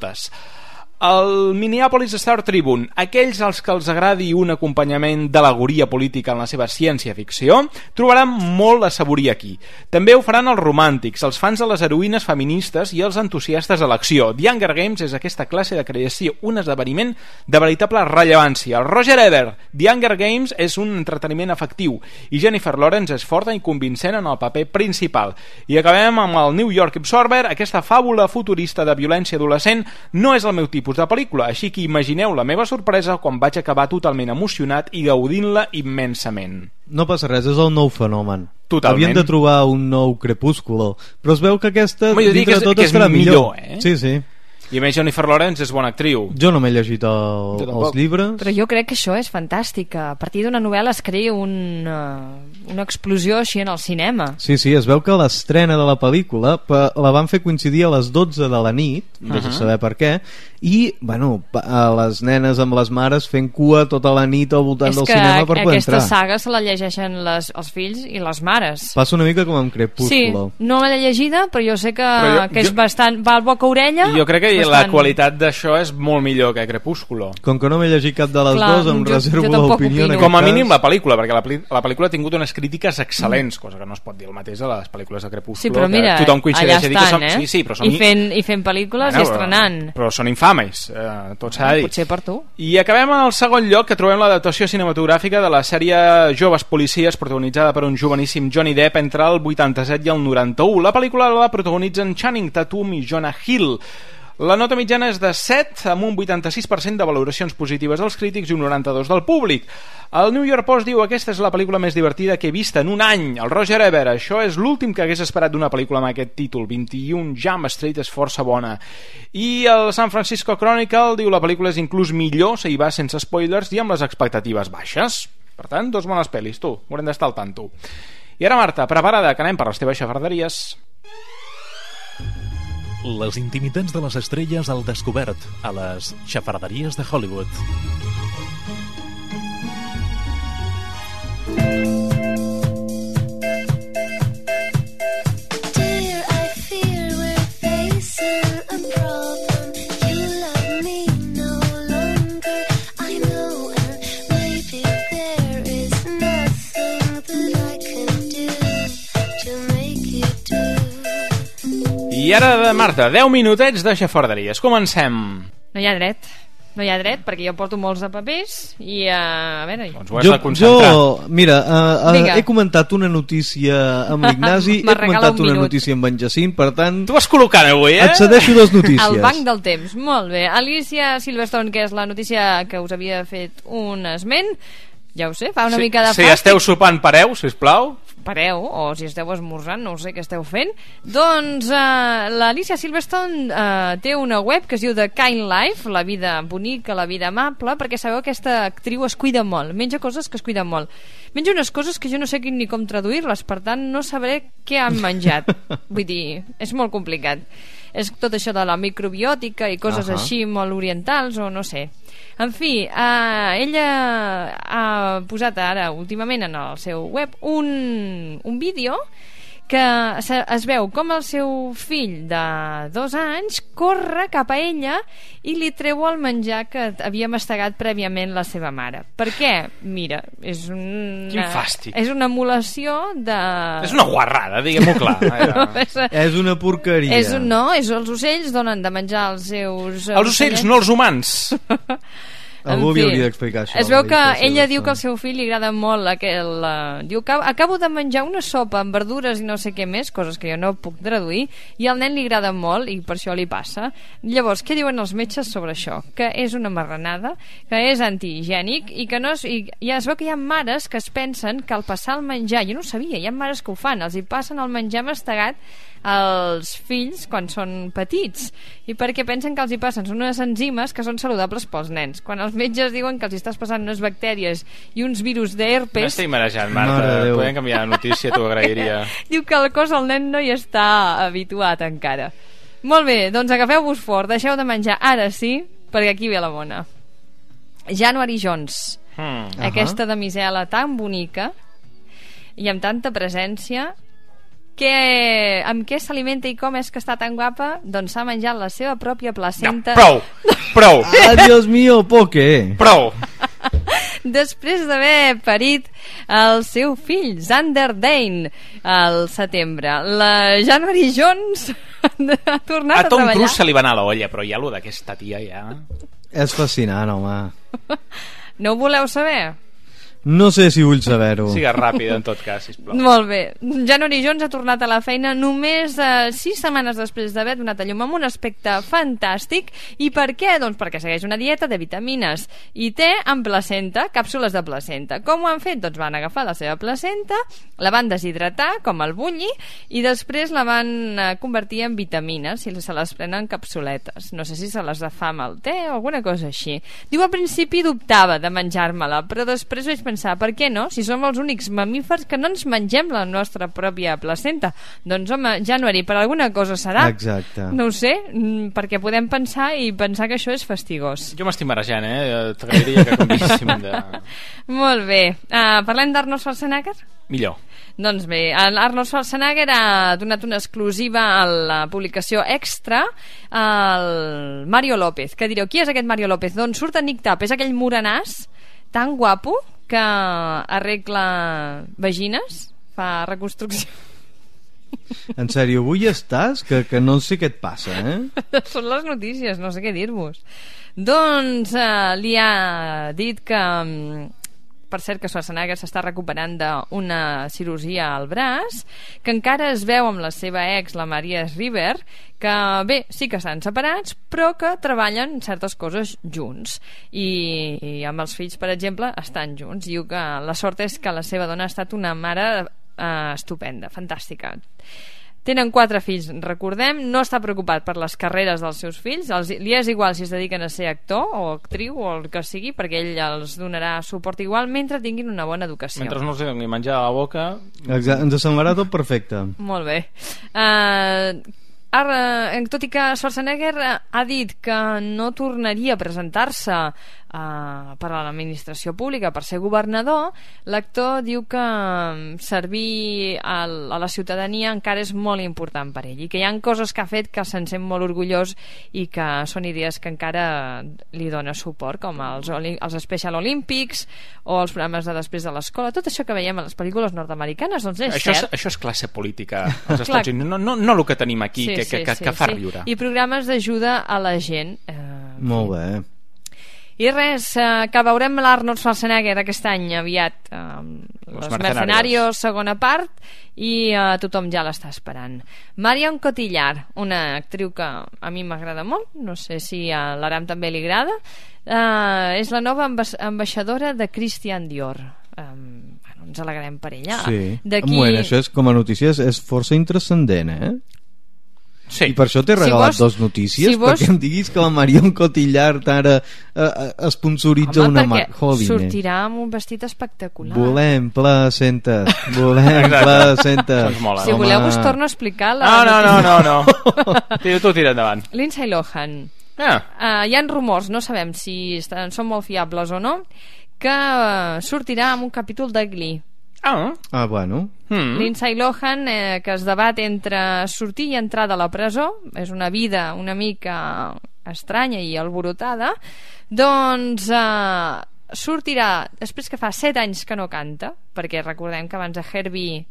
El Minneapolis Star Tribune, aquells als que els agradi un acompanyament d'al·legoria política en la seva ciència-ficció, trobaran molt a saborir aquí. També ho faran els romàntics, els fans de les heroïnes feministes i els entusiastes de l'acció. The Hunger Games és aquesta classe de creació, un esdeveniment de veritable rellevància. El Roger Ebert, The Hunger Games és un entreteniment efectiu i Jennifer Lawrence és forta i convincent en el paper principal. I acabem amb el New York Observer, aquesta fàbula futurista de violència adolescent no és el meu tipus de pel·lícula, així que imagineu la meva sorpresa quan vaig acabar totalment emocionat i gaudint-la immensament. No passa res, és el nou fenomen. Totalment. Havien de trobar un nou Crepúsculo, però es veu que aquesta, Home, jo dic dintre que és- de tot, que és estarà millor. millor, eh? Sí, sí. I a més Jennifer Lawrence és bona actriu. Jo no m'he llegit el, Jo tampoc. els llibres. Però jo crec que això és fantàstic. A partir d'una novel·la es crea un, una explosió així en el cinema. Sí, sí, es veu que l'estrena de la pel·lícula pa- la van fer coincidir a les dotze de la nit, no sé Uh-huh. saber per què, i, bueno, pa- a les nenes amb les mares fent cua tota la nit al voltant És del que cinema per poder aquesta entrar. saga se la llegeixen les, els fills i les mares. Passa una mica com amb Sí, Crepúsculo. no l'he llegida, però jo sé que, Però jo- que és jo- bastant... Va al boca orella. Jo crec que és la bastant... qualitat d'això és molt millor que Crepúsculo. Com que no m'he llegit cap de les Clar, dues, em jo- reservo jo tampoc l'opinió en opino. aquest Com a cas. mínim la pel·lícula, perquè la, peli- la pel·lícula ha tingut unes crítiques excel·lents, cosa que no es pot dir el mateix de les pel·lícules de Crepúsculo. Sí, però mira, que tothom allà coincideix a dir que estan, són... eh? Sí, sí, però són... I fent, i fent pel·lícules Bueno, i estrenant. Però són infames, eh, tot s'ha de dir. Potser per tu. I acabem en el segon lloc, que trobem l'adaptació cinematogràfica de la sèrie Joves Policies, protagonitzada per un joveníssim Johnny Depp entre el vuitanta-set i el noranta-u. La pel·lícula la protagonitzen Channing Tatum i Jonah Hill. La nota mitjana és de set, amb un vuitanta-sis per cent de valoracions positives dels crítics i un noranta-dos del públic. El New York Post diu: aquesta és la pel·lícula més divertida que he vist en un any. El Roger Ebert: això és l'últim que hagués esperat d'una pel·lícula amb aquest títol. vint-i-un Jump Street és força bona. I el San Francisco Chronicle diu: la pel·lícula és inclús millor si hi va sense spoilers i amb les expectatives baixes. Per tant, dos bones pel·lis, tu, haurem d'estar al tanto. I ara, Marta, preparada, que anem per les teves xafarderies. Les intimitats de les estrelles al descobert a les xafarderies de Hollywood. I ara, Marta, deu minutets de xafarderies. Comencem. No hi ha dret. No hi ha dret, perquè jo porto molts de papers i, uh, a veure... Doncs ho has de concentrar. Jo, mira, uh, uh, he comentat una notícia amb l'Ignasi, he comentat un una notícia amb en Jacint, per tant... Tu vas col·locant avui, eh? Et cedeixo les notícies. El banc del temps, molt bé. Alicia Silverstone, que és la notícia que us havia fet un esment, ja ho sé, fa una sí, mica de fàstic. Si esteu sopant, pareu, sisplau. Pareu, o si esteu esmorzant, no sé què esteu fent. Doncs uh, l'Alicia Silverstone uh, té una web que es diu The Kind Life, la vida bonica, la vida amable, perquè sabeu que aquesta actriu es cuida molt, menja coses que es cuida molt. Menja unes coses que jo no sé ni com traduir-les, per tant no sabré què han menjat. Vull dir, és molt complicat. És tot això de la microbiòtica i coses uh-huh. així molt orientals, o no sé. En fi, eh, ella ha posat ara últimament en el seu web un, un vídeo que es veu com el seu fill de dos anys corre cap a ella i li treu el menjar que havia mastegat prèviament la seva mare. Per què? Mira, és una... Quin fàstic. És una emulació de... És una guarrada, diguem-ho clar. No, és, és una porqueria. És, no, és, els ocells donen de menjar als seus... Els ocells, no els humans. Algú havia d'explicar això. Es veu que ella diu que al seu fill li agrada molt aquel, uh, diu que acabo de menjar una sopa amb verdures i no sé què més, coses que jo no puc traduir, i al nen li agrada molt i per això li passa. Llavors, què diuen els metges sobre això? Que és una marranada, que és antihigiènic i que no és, i ja es veu que hi ha mares que es pensen que al passar el menjar, jo no ho sabia, hi ha mares que ho fan, els hi passen el menjar mastegat als fills quan són petits, i perquè pensen que els hi passen són unes enzimes que són saludables pels nens, quan els metges diuen que els hi estàs passant unes bactèries i uns virus d'herpes. M'estic marejant, Marta, podem canviar de notícia, t'ho agrairia. Diu que el cos del nen no hi està habituat encara. Molt bé, doncs agafeu-vos fort, deixeu de menjar ara sí, perquè aquí ve la bona. January Jones, hmm. aquesta uh-huh. damisela tan bonica i amb tanta presència, que, amb què s'alimenta i com és que està tan guapa? Doncs s'ha menjat la seva pròpia placenta. No, prou, prou. Ah, Dios mío, ¿por qué? Prou. Després d'haver parit el seu fill, Xander Dane, al setembre. La January Jones ha tornat a, a Tom treballar. Cruise se li va anar l'olla, però ja lo d'aquesta tia ja... És fascinant, home. No ho voleu saber? No sé si vull saber-ho. Sigues ràpida, en tot cas, sisplau. Molt bé. January Jones ha tornat a la feina només eh, sis setmanes després d'haver donat a llum amb un aspecte fantàstic. I per què? Doncs perquè segueix una dieta de vitamines i té amb placenta, càpsules de placenta. Com ho han fet? Doncs van agafar la seva placenta, la van deshidratar, com el bulli, i després la van eh, convertir en vitamines i se les prenen capsuletes. No sé si se les fa amb el te o alguna cosa així. Diu, al principi dubtava de menjar-me-la, però després vaig pensar, per què no? Si som els únics mamífers que no ens mengem la nostra pròpia placenta. Doncs home, January, per alguna cosa serà. Exacte. No ho sé, perquè podem pensar i pensar que això és fastigós. Jo m'estic marejant, eh? T'agrairia que canviéssim de... Molt bé. Uh, parlem d'Arnold Schwarzenegger? Millor. Doncs bé, Arnold Schwarzenegger ha donat una exclusiva a la publicació Extra al Mario López. Què direu? Qui és aquest Mario López? D'on surt en Nick Tap? És aquell morenàs tan guapo que arregla vagines, fa reconstrucció. En sèrio, avui estàs? Que, que no sé què et passa, eh? Són les notícies, no sé què dir-vos. Doncs eh, li ha dit que per cert que Schwarzenegger s'està recuperant d'una cirurgia al braç, que encara es veu amb la seva ex, la Maria Shriver, que bé, sí que estan separats, però que treballen certes coses junts. I, i amb els fills, per exemple, estan junts. Diu que la sort és que la seva dona ha estat una mare eh, estupenda, fantàstica. Tenen quatre fills, recordem, no està preocupat per les carreres dels seus fills, els, li és igual si es dediquen a ser actor o actriu o el que sigui, perquè ell els donarà suport igual mentre tinguin una bona educació. Mentre no els doni menjar a la boca... Exacte, ens semblarà tot perfecte. Molt bé. Uh, ara, tot i que Schwarzenegger ha dit que no tornaria a presentar-se Uh, per a l'administració pública, per ser governador, l'actor diu que servir a, a la ciutadania encara és molt important per ell i que hi ha coses que ha fet que se'n sent molt orgullós i que són idees que encara li dona suport, com els, els Special Olympics o els programes de després de l'escola, tot això que veiem a les pel·lícules nord-americanes, doncs és això cert. És, això és classe política als Estats Units, no, no, no el que tenim aquí, sí, que, sí, que, sí, que fa sí. riure. I programes d'ajuda a la gent. Eh, molt bé. I res, eh, que veurem l'Arnold Schwarzenegger aquest any aviat, eh, Los, Los Mercenarios, segona part, i eh, tothom ja l'està esperant. Marion Cotillard, una actriu que a mi m'agrada molt, no sé si a l'Aram també li agrada, eh, és la nova amba ambaixadora de Christian Dior. Eh, bueno, ens alegrem per ella. Sí, bueno, això és, com a notícies és força intrascendent, eh? Sí. I per això t'he regalat si vos, dos notícies, si vos... perquè em diguis que la Marion Cotillard ara eh, eh, sponsoritza Home, una marca. Home, sortirà amb un vestit espectacular. Volem placentes, volem placentes. Si Home. voleu us torno a explicar la no, no, no, no, no. Tu, tu tira endavant. Lindsay Lohan. Ah. Uh, hi ha rumors, no sabem si estan, són molt fiables o no, que uh, sortirà amb un capítol de Glee. Ah, ah bueno. Hmm. Lindsay Lohan, eh, que es debat entre sortir i entrar de la presó, és una vida una mica estranya i alborotada, doncs eh, sortirà després que fa set anys que no canta, perquè recordem que abans de Herbie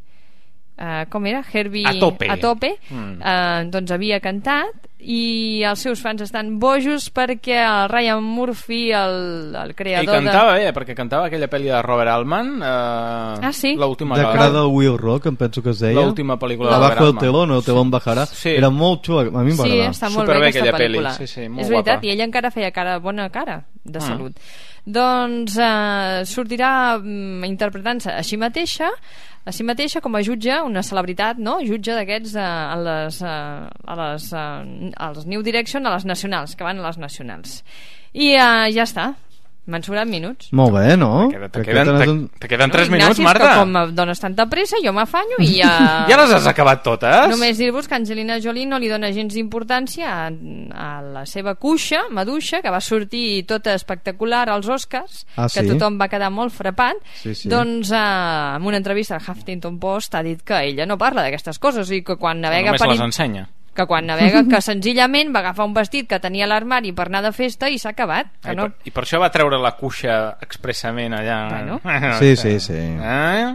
eh, com era? Herbie a tope, a tope mm. eh, doncs havia cantat i els seus fans estan bojos perquè el Ryan Murphy, el, el creador de... I cantava de... bé, perquè cantava aquella pel·li de Robert Altman, eh, ah, sí? l'última de cara del Will Rock, em penso que es deia l'última pel·lícula de Abajo Robert el telón, el telón bajarà, sí. Era molt xula, a mi em va sí, agradar. està molt Superbé bé aquesta pel·lícula. pel·lícula, sí, sí, molt és veritat, guapa. i ella encara feia cara, bona cara de mm. salut. Doncs eh, sortirà mm, interpretant-se a si mateixa a si mateixa com a jutge, una celebritat, no? Jutge d'aquests eh, a les, eh, a les eh, als New Direction, a les nacionals, que van a les nacionals. I eh, ja està. M'han sobrat minuts. Molt bé, no? Te queden, te, te queden tres no, minuts, Ignasi, Marta. que com em dones tanta pressa, jo m'afanyo i ja... ja les has acabat totes? Només dir-vos que Angelina Jolie no li dona gens d'importància a, a la seva cuixa, Maduixa, que va sortir tota espectacular als Oscars, ah, que sí? tothom va quedar molt frapat. Sí, sí. Doncs eh, en una entrevista al Huffington Post ha dit que ella no parla d'aquestes coses i que quan navega... Només per... les ensenya. que quan navega, que senzillament va agafar un vestit que tenia a l'armari per anar de festa i s'ha acabat. Que I, no... per, I per això va treure la cuixa expressament allà. Bueno. Sí, sí, sí. Eh?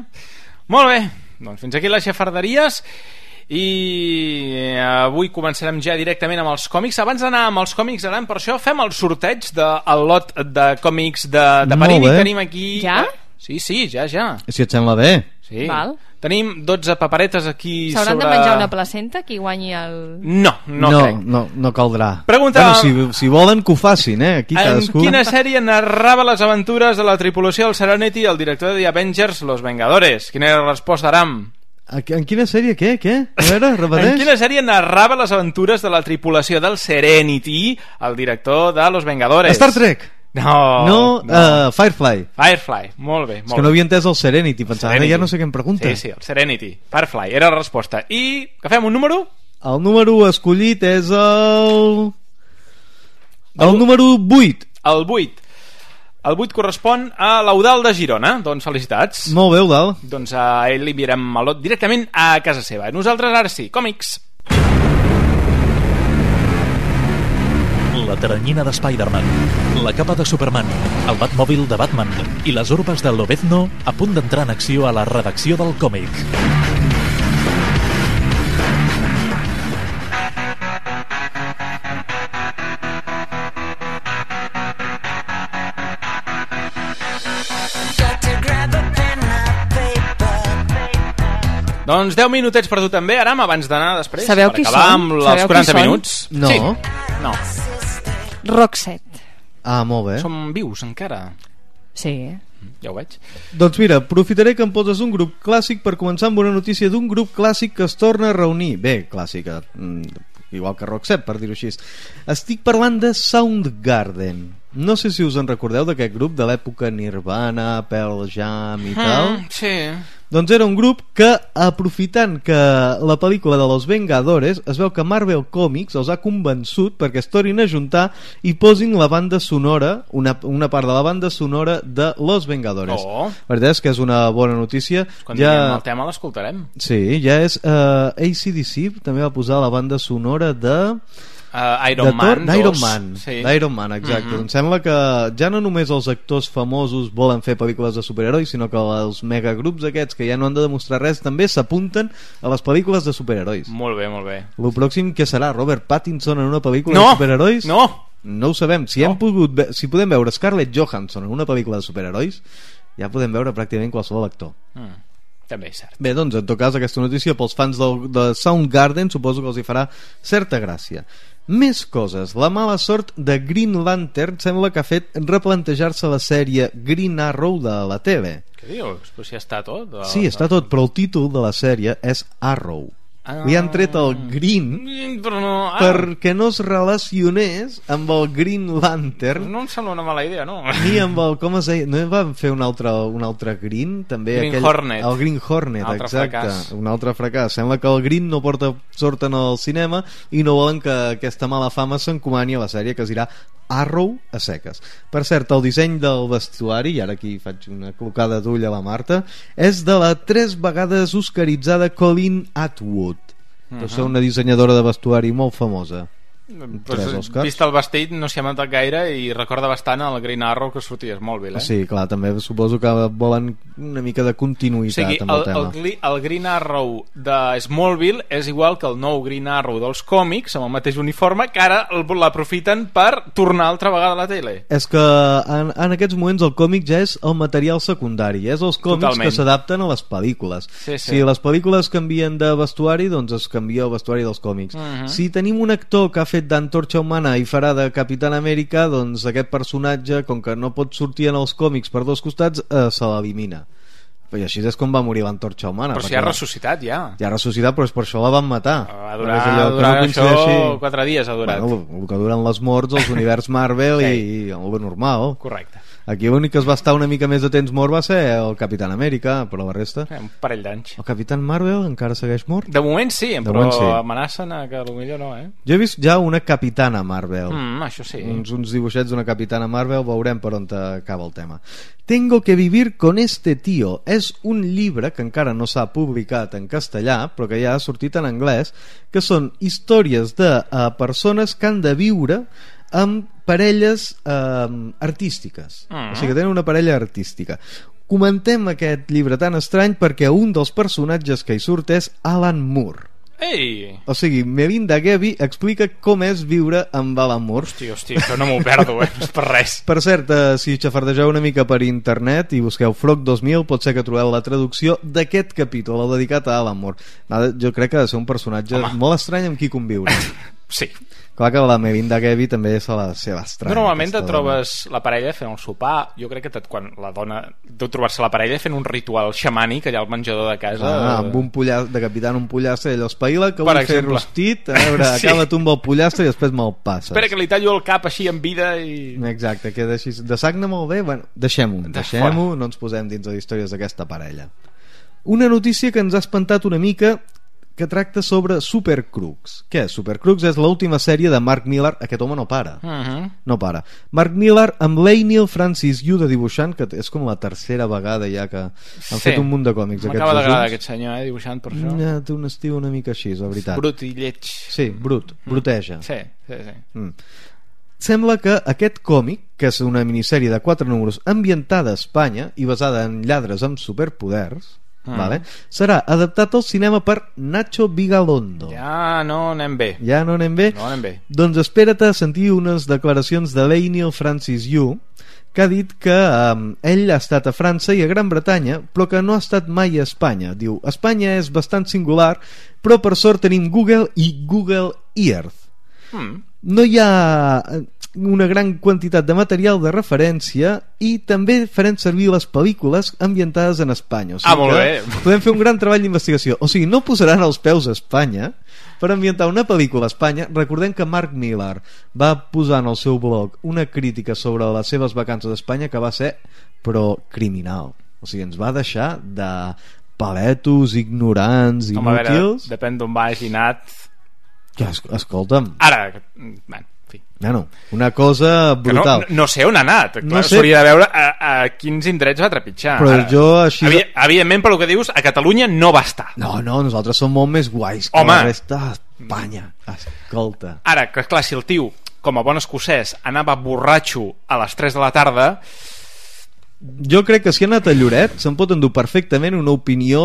Molt bé, doncs fins aquí les xafarderies i avui començarem ja directament amb els còmics. Abans d'anar amb els còmics, Aran, per això fem el sorteig del lot de còmics de, de Panini. Tenim aquí... Ja? Sí, sí, ja, ja. Si et sembla bé. Sí. Val. Tenim dotze paperetes aquí sobre... S'hauran de menjar una placenta qui guanyi el... No, no, no crec. No, no caldrà. Pregunta... Bueno, si, si volen que ho facin, eh? Aquí en cadascú... quina sèrie narrava les aventures de la tripulació del Serenity el director de The Avengers, Los Vengadores? Quina era la resposta, Aram? En quina sèrie? Què? Què? A veure, repeteix. En quina sèrie narrava les aventures de la tripulació del Serenity el director de Los Vengadores? Star Trek! No, no, no. Uh, Firefly. Firefly, molt bé, molt És que no havia entès el Serenity, pensava que ja no sé què em pregunta. Sí, sí, el Serenity, Firefly, era la resposta. I que fem un número? El número escollit és el... El, el número vuit. El vuit. El vuit correspon a l'Eudal de Girona. Doncs felicitats. Molt bé, Eudal. Doncs a ell li enviarem el lot directament a casa seva. Nosaltres ara sí, còmics. La teranyina de Spider-Man, la capa de Superman, el Batmòbil de Batman i les urbes de Lobezno a punt d'entrar en acció a la redacció del còmic. Got to Doncs deu minutets per tu també, Aram, abans d'anar després. Sabeu per qui acabar són? amb els Sabeu quaranta qui són? minuts. No. Sí. No. Roxette. Ah, molt bé. Som vius encara. Sí. Ja ho veig. Doncs mira, aprofitaré que em poses un grup clàssic per començar amb una notícia d'un grup clàssic que es torna a reunir. Bé, clàssica, igual que Roxette, per dir-ho així. Estic parlant de Soundgarden. No sé si us en recordeu d'aquest grup de l'època Nirvana, Pearl Jam i tal. Mm, sí. Doncs era un grup que, aprofitant que la pel·lícula de Los Vengadores, es veu que Marvel Comics els ha convençut perquè es tornin a juntar i posin la banda sonora, una, una part de la banda sonora de Los Vengadores. Oh. La veritat és que és una bona notícia. Quan ja... diguem el tema l'escoltarem. Sí, ja és uh, A C D C, també va posar la banda sonora de... Uh, Iron Man d'Iron Man, sí. d'Iron Man, exacte. Mm-hmm. Em sembla que ja no només els actors famosos volen fer pel·lícules de superherois, sinó que els megagrups aquests que ja no han de demostrar res també s'apunten a les pel·lícules de superherois. Molt bé, molt bé. El pròxim que serà Robert Pattinson en una pel·lícula no! de superherois? No! No ho sabem. Si, no. hem pogut ve- si podem veure Scarlett Johansson en una pel·lícula de superherois, ja podem veure pràcticament qualsevol actor. Mm. També és cert. Bé, doncs en tot cas aquesta notícia pels fans del, de Soundgarden suposo que els hi farà certa gràcia. Més coses. La mala sort de Green Lantern sembla que ha fet replantejar-se la sèrie Green Arrow de la tele. Què dius? Però si està tot? O... Sí, està tot, però el títol de la sèrie és Arrow. Ah. Li han tret el Green però no, ah. perquè no es relacionés amb el Green Lantern. No em sembla una mala idea, no? Ni amb el, com es deia, no van fer un altre, un altre Green també? Green aquell, Hornet. El Green Hornet, altre exacte. Fracàs. Un altre fracàs. Sembla que el Green no porta sort en el cinema i no volen que aquesta mala fama s'encomani a la sèrie que es dirà Arrow a seques. Per cert, el disseny del vestuari, i ara aquí faig una clocada d'ull a la Marta, és de la tres vegades oscaritzada Colleen Atwood. Uh -huh. És una dissenyadora de vestuari molt famosa. Pues, vist el vestit no s'hi ha mentat gaire i recorda bastant el Green Arrow que sortia a Smallville, eh? Sí, clar, també suposo que volen una mica de continuïtat, o sigui, amb el, el tema. El, el Green Arrow de Smallville és igual que el nou Green Arrow dels còmics, amb el mateix uniforme, que ara l'aprofiten per tornar altra vegada a la tele. És que en, en aquests moments el còmic ja és el material secundari, és els còmics Totalment. Que s'adapten a les pel·lícules. Sí, sí. Si les pel·lícules canvien de vestuari, doncs es canvia el vestuari dels còmics. Uh-huh. Si tenim un actor que ha fet d'Antorxa Humana i farà de Capitán Amèrica, doncs aquest personatge, com que no pot sortir en els còmics per dos costats, eh, se l'elimina. I així és com va morir l'Antorxa Humana. Però si ha ressuscitat ja. Ja ha ressuscitat, però és per això la van matar. Va durar, allò, durar no això quatre dies ha durat. Bueno, el que duren les morts, els univers Marvel sí. i, i el normal. Correcte. Aquí l'únic que es va estar una mica més de temps mort va ser el Capitán Amèrica, però la resta... Un parell d'anys. El Capitán Marvel encara segueix mort? De moment sí, de però moment sí. Amenacen a que potser no, eh? Jo he vist ja una Capitana Marvel. Mm, això sí. Uns, uns dibuixets d'una Capitana Marvel, veurem per on acaba el tema. Tengo que vivir con este tío. És un llibre que encara no s'ha publicat en castellà, però que ja ha sortit en anglès, que són històries de uh, persones que han de viure amb parelles eh, artístiques. Uh-huh. O sigui que tenen una parella artística. Comentem aquest llibre tan estrany perquè un dels personatges que hi surt és Alan Moore. Ei! O sigui, Melinda Gaby explica com és viure amb Alan Moore. Hòstia, hòstia, això no m'ho perdo, eh? No és per res. Per cert, eh, si xafardegeu una mica per internet i busqueu Frog dos mil, pot ser que trobeu la traducció d'aquest capítol, el dedicat a Alan Moore. Jo crec que ha de ser un personatge Home. molt estrany amb qui conviure. Sí. Clar que la Melinda Gaby també se la seva estranya. Normalment et trobes dona. la parella fent el sopar. Jo crec que tot, quan la dona deu trobar-se la parella fent un ritual xamànic allà al menjador de casa. Ah, amb un pollastre, decapitant un pollastre, ell espavila, que vull fer rostit, a veure, sí. acaba tu amb el pollastre i després me'l passes. Espera que li tallo el cap així en vida i... Exacte, queda així. De sagna molt bé, bueno, deixem-ho, de deixem-ho, no ens posem dins de històries d'aquesta parella. Una notícia que ens ha espantat una mica, que tracta sobre Supercrooks. Què és Supercrooks? És l'última sèrie de Mark Millar. Aquest home no para. Uh-huh. No para. Mark Millar amb l'Einiel Francis Yu de dibuixant, que és com la tercera vegada ja que han sí. fet un munt de còmics. M'acaba d'agradar aquest senyor, eh, dibuixant per això. Ja, té un estil una mica així, la veritat. Brut i lleig. Sí, brut. Bruteja. Mm. Sí, sí, sí. Mm. Sembla que aquest còmic, que és una minissèrie de quatre números ambientada a Espanya i basada en lladres amb superpoders, Mm. Vale. serà adaptat al cinema per Nacho Vigalondo. Ja no anem bé. Ja no anem bé? No anem bé. Doncs espera't a sentir unes declaracions de l'Einiel Francis Yu, que ha dit que um, ell ha estat a França i a Gran Bretanya, però que no ha estat mai a Espanya. Diu, Espanya és bastant singular, però per sort tenim Google i Google Earth. Mm. No hi ha una gran quantitat de material de referència i també farem servir les pel·lícules ambientades en Espanya. O sigui, ah, molt bé. Podem fer un gran treball d'investigació. O sigui, no posaran els peus a Espanya per ambientar una pel·lícula a Espanya. Recordem que Mark Millar va posar en el seu blog una crítica sobre les seves vacances a Espanya que va ser, però, criminal. O sigui, ens va deixar de paletos, ignorants, Home, inútils. A veure, depèn d'on va hagi anat. Ja, escolta'm. Ara, bueno, en fi. Bueno, una cosa brutal. No, no sé on ha anat. Clar, no sé. S'hauria de veure a, a quins indrets va trepitjar. Però Ara, jo així... Evi evidentment, per el que dius, a Catalunya no va estar. No, no, nosaltres som molt més guais que Home. la resta d'Espanya. Escolta. Ara, que clar, si el tio, com a bon escocès, anava borratxo a les tres de la tarda... Jo crec que si ha anat a Lloret se'n pot endur perfectament una opinió...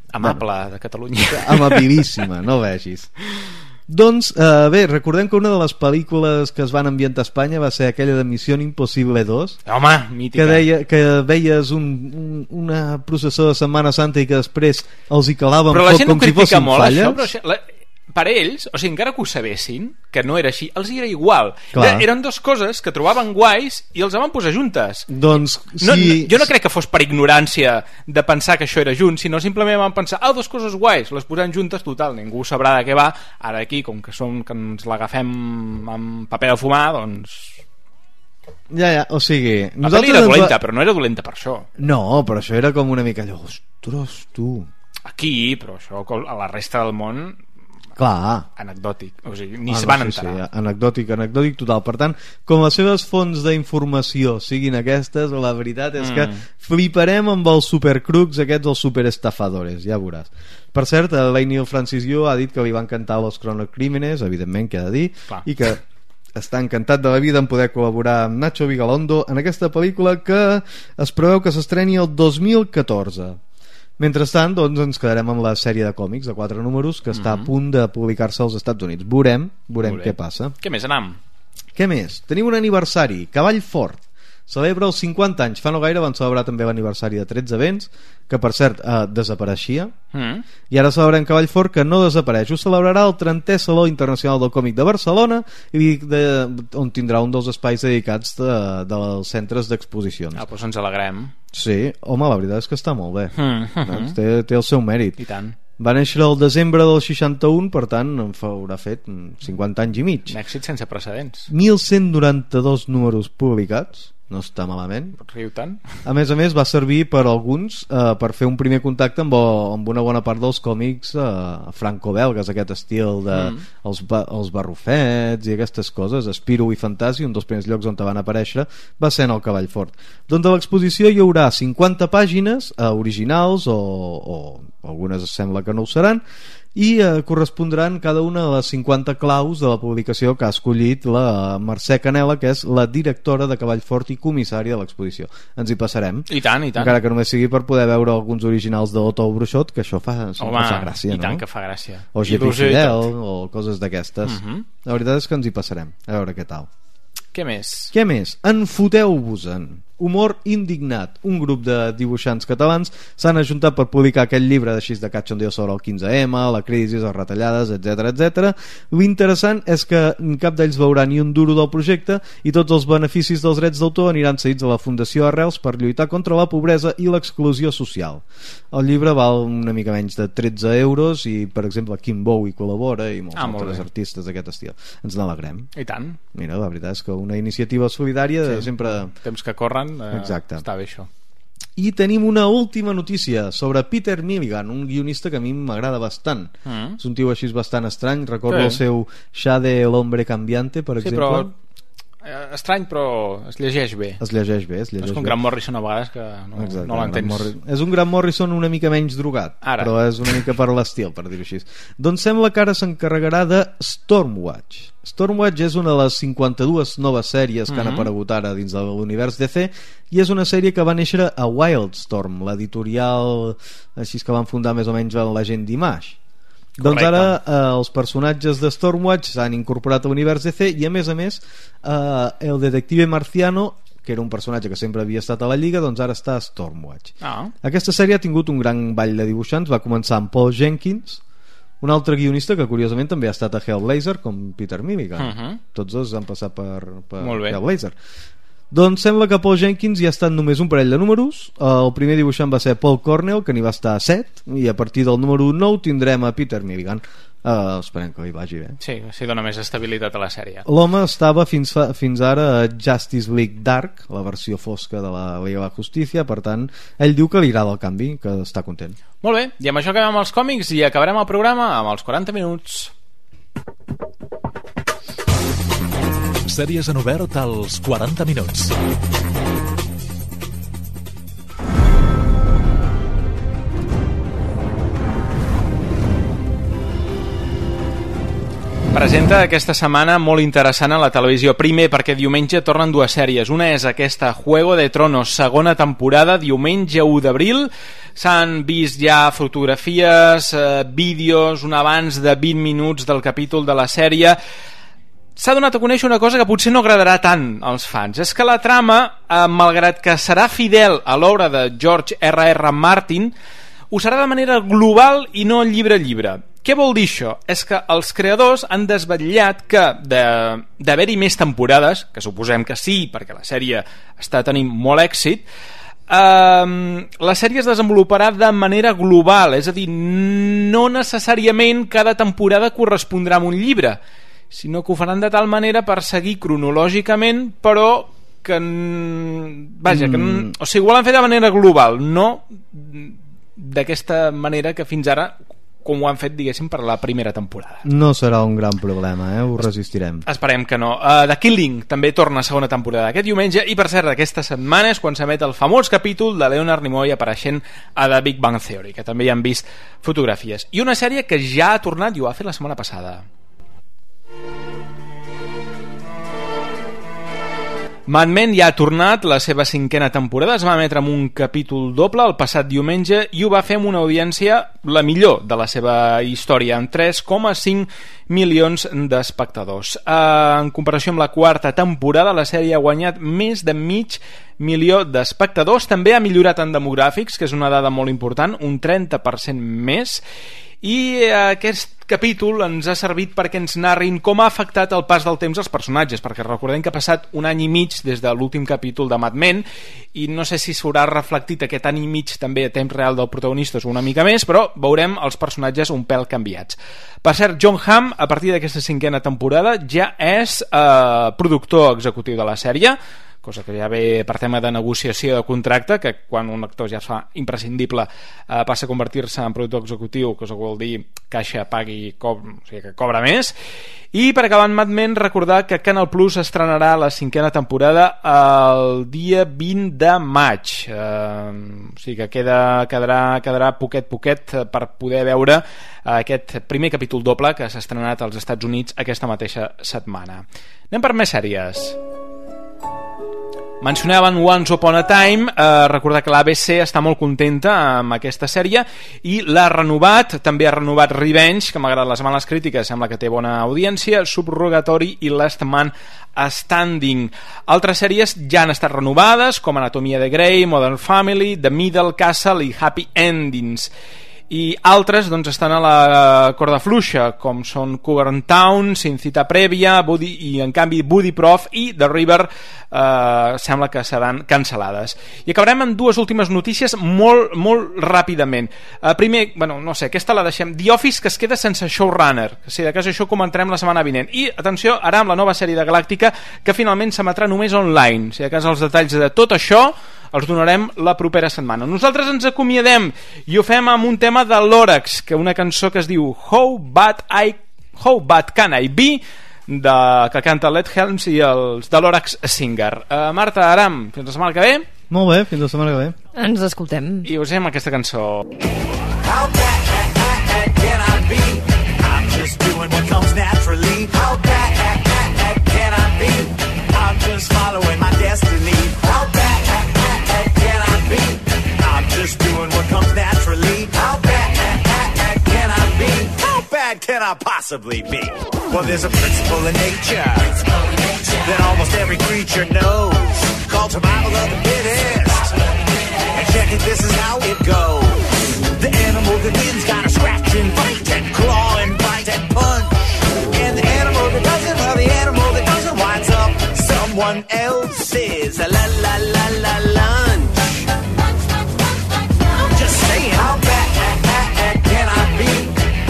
amable, bueno, de Catalunya. Amabilíssima, no vegis. Doncs, eh, bé, recordem que una de les pel·lícules que es van ambientar a Espanya va ser aquella de Missió Impossible dos. Home, mítica. Que, deia, que veies un, un, una processó de Setmana Santa i que després els hi calaven foc com si fossin molt, falles. Això, però això, la, per ells, o sigui, encara que ho sabessin, que no era així, els era igual. Clar. Eren dues coses que trobaven guais i els van posar juntes. Doncs, si... no, no, jo no crec que fos per ignorància de pensar que això era junt, sinó simplement van pensar, ah, dues coses guais, les posem juntes, total, ningú sabrà de què va. Ara aquí, com que som que ens l'agafem amb paper de fumar, doncs... Ja, ja, o sigui... La pel·li era dolenta, va... però no era dolenta per això. No, però això era com una mica allò, ostres, tu... Aquí, però això a la resta del món... Clar. Anecdòtic, o sigui, ni ah, es van no, sí, enterar. Sí, anecdòtic, anecdòtic total. Per tant, com les seves fonts d'informació siguin aquestes, la veritat és mm. que fliparem amb els supercrucs aquests, els superestafadores, ja veuràs. Per cert, l'Einiel Francis Yu ha dit que li van cantar Los Cronocrímenes, evidentment, que ha de dir, clar, i que està encantat de la vida en poder col·laborar amb Nacho Vigalondo en aquesta pel·lícula que es preveu que s'estreni el dos mil catorze. Mentrestant, doncs, ens quedarem amb la sèrie de còmics de quatre números que està mm -hmm. a punt de publicar-se als Estats Units. Veurem, veurem què passa. Què més, anam? Què més? Tenim un aniversari. Cavall Fort celebra els cinquanta anys. Fa no gaire van celebrar també l'aniversari de tretze vents, que per cert eh, desapareixia, mm. i ara celebrem Cavall Fort, que no desapareix. Ho celebrarà el trentè Saló Internacional del Còmic de Barcelona, i de, on tindrà un dels espais dedicats de, dels centres d'exposicions. Ah, doncs ens alegrem. Sí, home, la veritat és que està molt bé. Mm -hmm. Doncs té, té el seu mèrit. I tant. Va néixer el desembre del seixanta-un, per tant haurà fet cinquanta anys i mig. Un èxit sense precedents. mil cent noranta-dos números publicats, no està malament. Riu tant. A més a més va servir per alguns eh, per fer un primer contacte amb, amb una bona part dels còmics eh, franco-belgues, aquest estil de mm. els, ba els barrufets i aquestes coses. Spirou i Fantasi, un dels primers llocs on van aparèixer va ser en el Cavall Fort. Doncs a l'exposició hi haurà cinquanta pàgines eh, originals o, o algunes sembla que no ho seran, i eh, correspondran cada una de les cinquanta claus de la publicació que ha escollit la Mercè Canela, que és la directora de Cavall Fort i comissària de l'exposició. Ens hi passarem. I tant, i tant. Encara que només sigui per poder veure alguns originals d'Otto o Bruixot, que això fa, Home, fa gràcia, i no? tant que fa gràcia. O G P Fidel, o coses d'aquestes. Uh -huh. La veritat és que ens hi passarem, a veure què tal. Què més? Què més? Enfoteu-vos-en. Humor indignat. Un grup de dibuixants catalans s'han ajuntat per publicar aquest llibre d'així de cachondeo sobre el quinze ema, la crisi, les retallades, etcètera, etcètera. L'interessant és que cap d'ells veurà ni un duro del projecte i tots els beneficis dels drets d'autor aniran cedits a la Fundació Arrels per lluitar contra la pobresa i l'exclusió social. El llibre val una mica menys de tretze euros i, per exemple, Kim Bowie col·labora i molts ah, altres molt artistes d'aquest estil. Ens n'alegrem. I tant. Mira, la veritat és que una iniciativa solidària sí. sempre... Temps que corren Exacte. Està bé això. I tenim una última notícia sobre Peter Milligan, un guionista que a mi m'agrada bastant. Mm. És un tio així bastant estrany. Recordo sí. el seu Shade l'Hombre Cambiante, per sí, exemple. Però estrany, però es llegeix bé. Es llegeix bé, es llegeix és com bé. Grant Morrison a vegades que no, Exacte, no l'entens. És un Grant Morrison una mica menys drogat, ara. Però és una mica per l'estil, per dir-ho així. Doncs sembla que ara s'encarregarà de Stormwatch. Stormwatch és una de les cinquanta-dues noves sèries que mm-hmm. han aparegut ara dins de l'univers D C, i és una sèrie que va néixer a Wildstorm, l'editorial així que van fundar més o menys l'agent d'Image. Doncs ara eh, els personatges de Stormwatch s'han incorporat a l'univers D C i a més a més eh, el detective marciano, que era un personatge que sempre havia estat a la Lliga, doncs ara està a Stormwatch. Ah. Aquesta sèrie ha tingut un gran ball de dibuixants, va començar amb Paul Jenkins, un altre guionista que curiosament també ha estat a Hellblazer, com Peter Milligan. Uh -huh. Tots dos han passat per, per Hellblazer. Doncs sembla que Paul Jenkins hi ha estat només un parell de números. El primer dibuixant va ser Paul Cornell, que n'hi va estar a set, i a partir del número nou tindrem a Peter Milligan. Uh, esperem que li vagi bé. Sí, sí, dona més estabilitat a la sèrie. L'home estava fins, fa, fins ara a Justice League Dark, la versió fosca de la Liga de la Justícia, per tant ell diu que li agrada el canvi, que està content. Molt bé, i amb això acabem amb els còmics i acabarem el programa amb els quaranta minuts. Sèries en obert als quaranta minuts. Presenta aquesta setmana molt interessant a la televisió. Primer, perquè diumenge tornen dues sèries. Una és aquesta, Juego de Tronos, segona temporada, diumenge u d'abril. S'han vist ja fotografies, eh, vídeos, un abans de vint minuts del capítol de la sèrie. S'ha donat a conèixer una cosa que potser no agradarà tant als fans. És que la trama, eh, malgrat que serà fidel a l'obra de George R R Martin, ho serà de manera global i no llibre a llibre. Què vol dir això? És que els creadors han desvetllat que de, d'haver-hi més temporades, que suposem que sí, perquè la sèrie està tenint molt èxit, eh, la sèrie es desenvoluparà de manera global, és a dir, no necessàriament cada temporada correspondrà a un llibre, sinó que ho faran de tal manera per seguir cronològicament, però que... Vaja, que, mm. o sigui, ho volen fer de manera global, no d'aquesta manera que fins ara com ho han fet, diguéssim, per la primera temporada. No serà un gran problema, eh? Ho resistirem. Esperem que no. Uh, The Killing també torna a segona temporada aquest diumenge i, per cert, aquesta setmana és quan s'emet el famós capítol de Leonard Nimoy apareixent a The Big Bang Theory, que també hi han vist fotografies. I una sèrie que ja ha tornat i ho ha fet la setmana passada. Mad Men ja ha tornat la seva cinquena temporada, es va emetre amb un capítol doble el passat diumenge i ho va fer amb una audiència la millor de la seva història, amb tres coma cinc milions d'espectadors. En comparació amb la quarta temporada, la sèrie ha guanyat més de mig milió d'espectadors, també ha millorat en demogràfics, que és una dada molt important, un trenta per cent més, i aquest capítol ens ha servit perquè ens narrin com ha afectat el pas del temps als personatges, perquè recordem que ha passat un any i mig des de l'últim capítol de Mad Men i no sé si s'haurà reflectit aquest any i mig també a temps real del protagonista o una mica més, però veurem els personatges un pèl canviats. Per cert, John Hamm, a partir d'aquesta cinquena temporada, ja és eh, productor executiu de la sèrie, cosa que ja ve per tema de negociació de contracte, que quan un actor ja es fa imprescindible eh, passa a convertir-se en productor executiu, cosa que vol dir caixa, pagui, co o sigui que cobra més. I per acabar en Mad Men, recordar que Canal Plus estrenarà la cinquena temporada el dia vint de maig, eh, o sigui que queda, quedarà, quedarà poquet poquet per poder veure aquest primer capítol doble que s'ha estrenat als Estats Units aquesta mateixa setmana. Anem per més sèries. Mencionaven Once Upon a Time, eh, recordar que l'A B C està molt contenta amb aquesta sèrie i l'ha renovat, també ha renovat Revenge, que malgrat les males crítiques sembla que té bona audiència, Subrogatory i Last Man Standing. Altres sèries ja han estat renovades, com Anatomia de Grey, Modern Family, The Middle Castle i Happy Endings. I altres doncs, estan a la corda fluixa, com són Covern Town, Sin Cita Prèvia, Buddy, i en canvi Buddy Prof i The River eh, sembla que seran cancel·lades. I acabarem amb dues últimes notícies molt, molt ràpidament. Eh, primer, bueno, no sé, aquesta la deixem. The Office, que es queda sense showrunner, que si de cas això comentarem la setmana vinent. I, atenció, ara amb la nova sèrie de Galàctica, que finalment s'emetrà només online. Si de cas els detalls de tot això els donarem la propera setmana. Nosaltres ens acomiadem i ho fem amb un tema de l'Òrax, que una cançó que es diu How Bad, I, How Bad Can I Be, de, que canta Led Helms i els de l'Òrax Singer. Uh, Marta, Aram, fins la setmana que ve. Molt bé, fins la setmana que ve. Ens escoltem. I us amb aquesta cançó. How bad can I be? I'm just doing what comes naturally. How bad can I be? I'm just following my destiny. How bad can I be? I'm just doing what comes naturally. How bad can I be? How can I possibly be? Well, there's a principle in nature that almost every creature knows, called survival of the fittest. And check it, this is how it goes. The animal that wins gotta scratch and fight and claw and bite and punch. And the animal that doesn't, well, the animal that doesn't winds up someone else's la la la la lunch. I'm just saying, how bad can I be?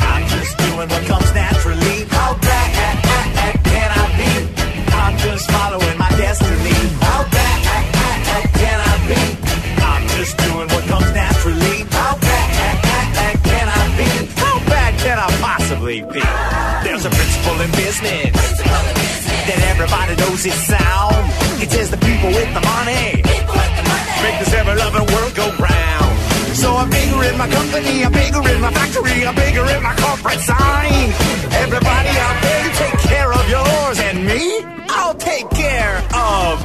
I'm just doing what comes naturally. How bad can I be? I'm just following my destiny. How bad can I be? I'm just doing what comes naturally. How bad can I be? How bad can I possibly be? There's a principle in business that everybody knows is sound. It says the people with the money make this ever-loving world go round. So I'm bigger in my company, I'm bigger in my factory, I'm bigger in my corporate sign. Everybody out there, you take care of yours, and me, I'll take care of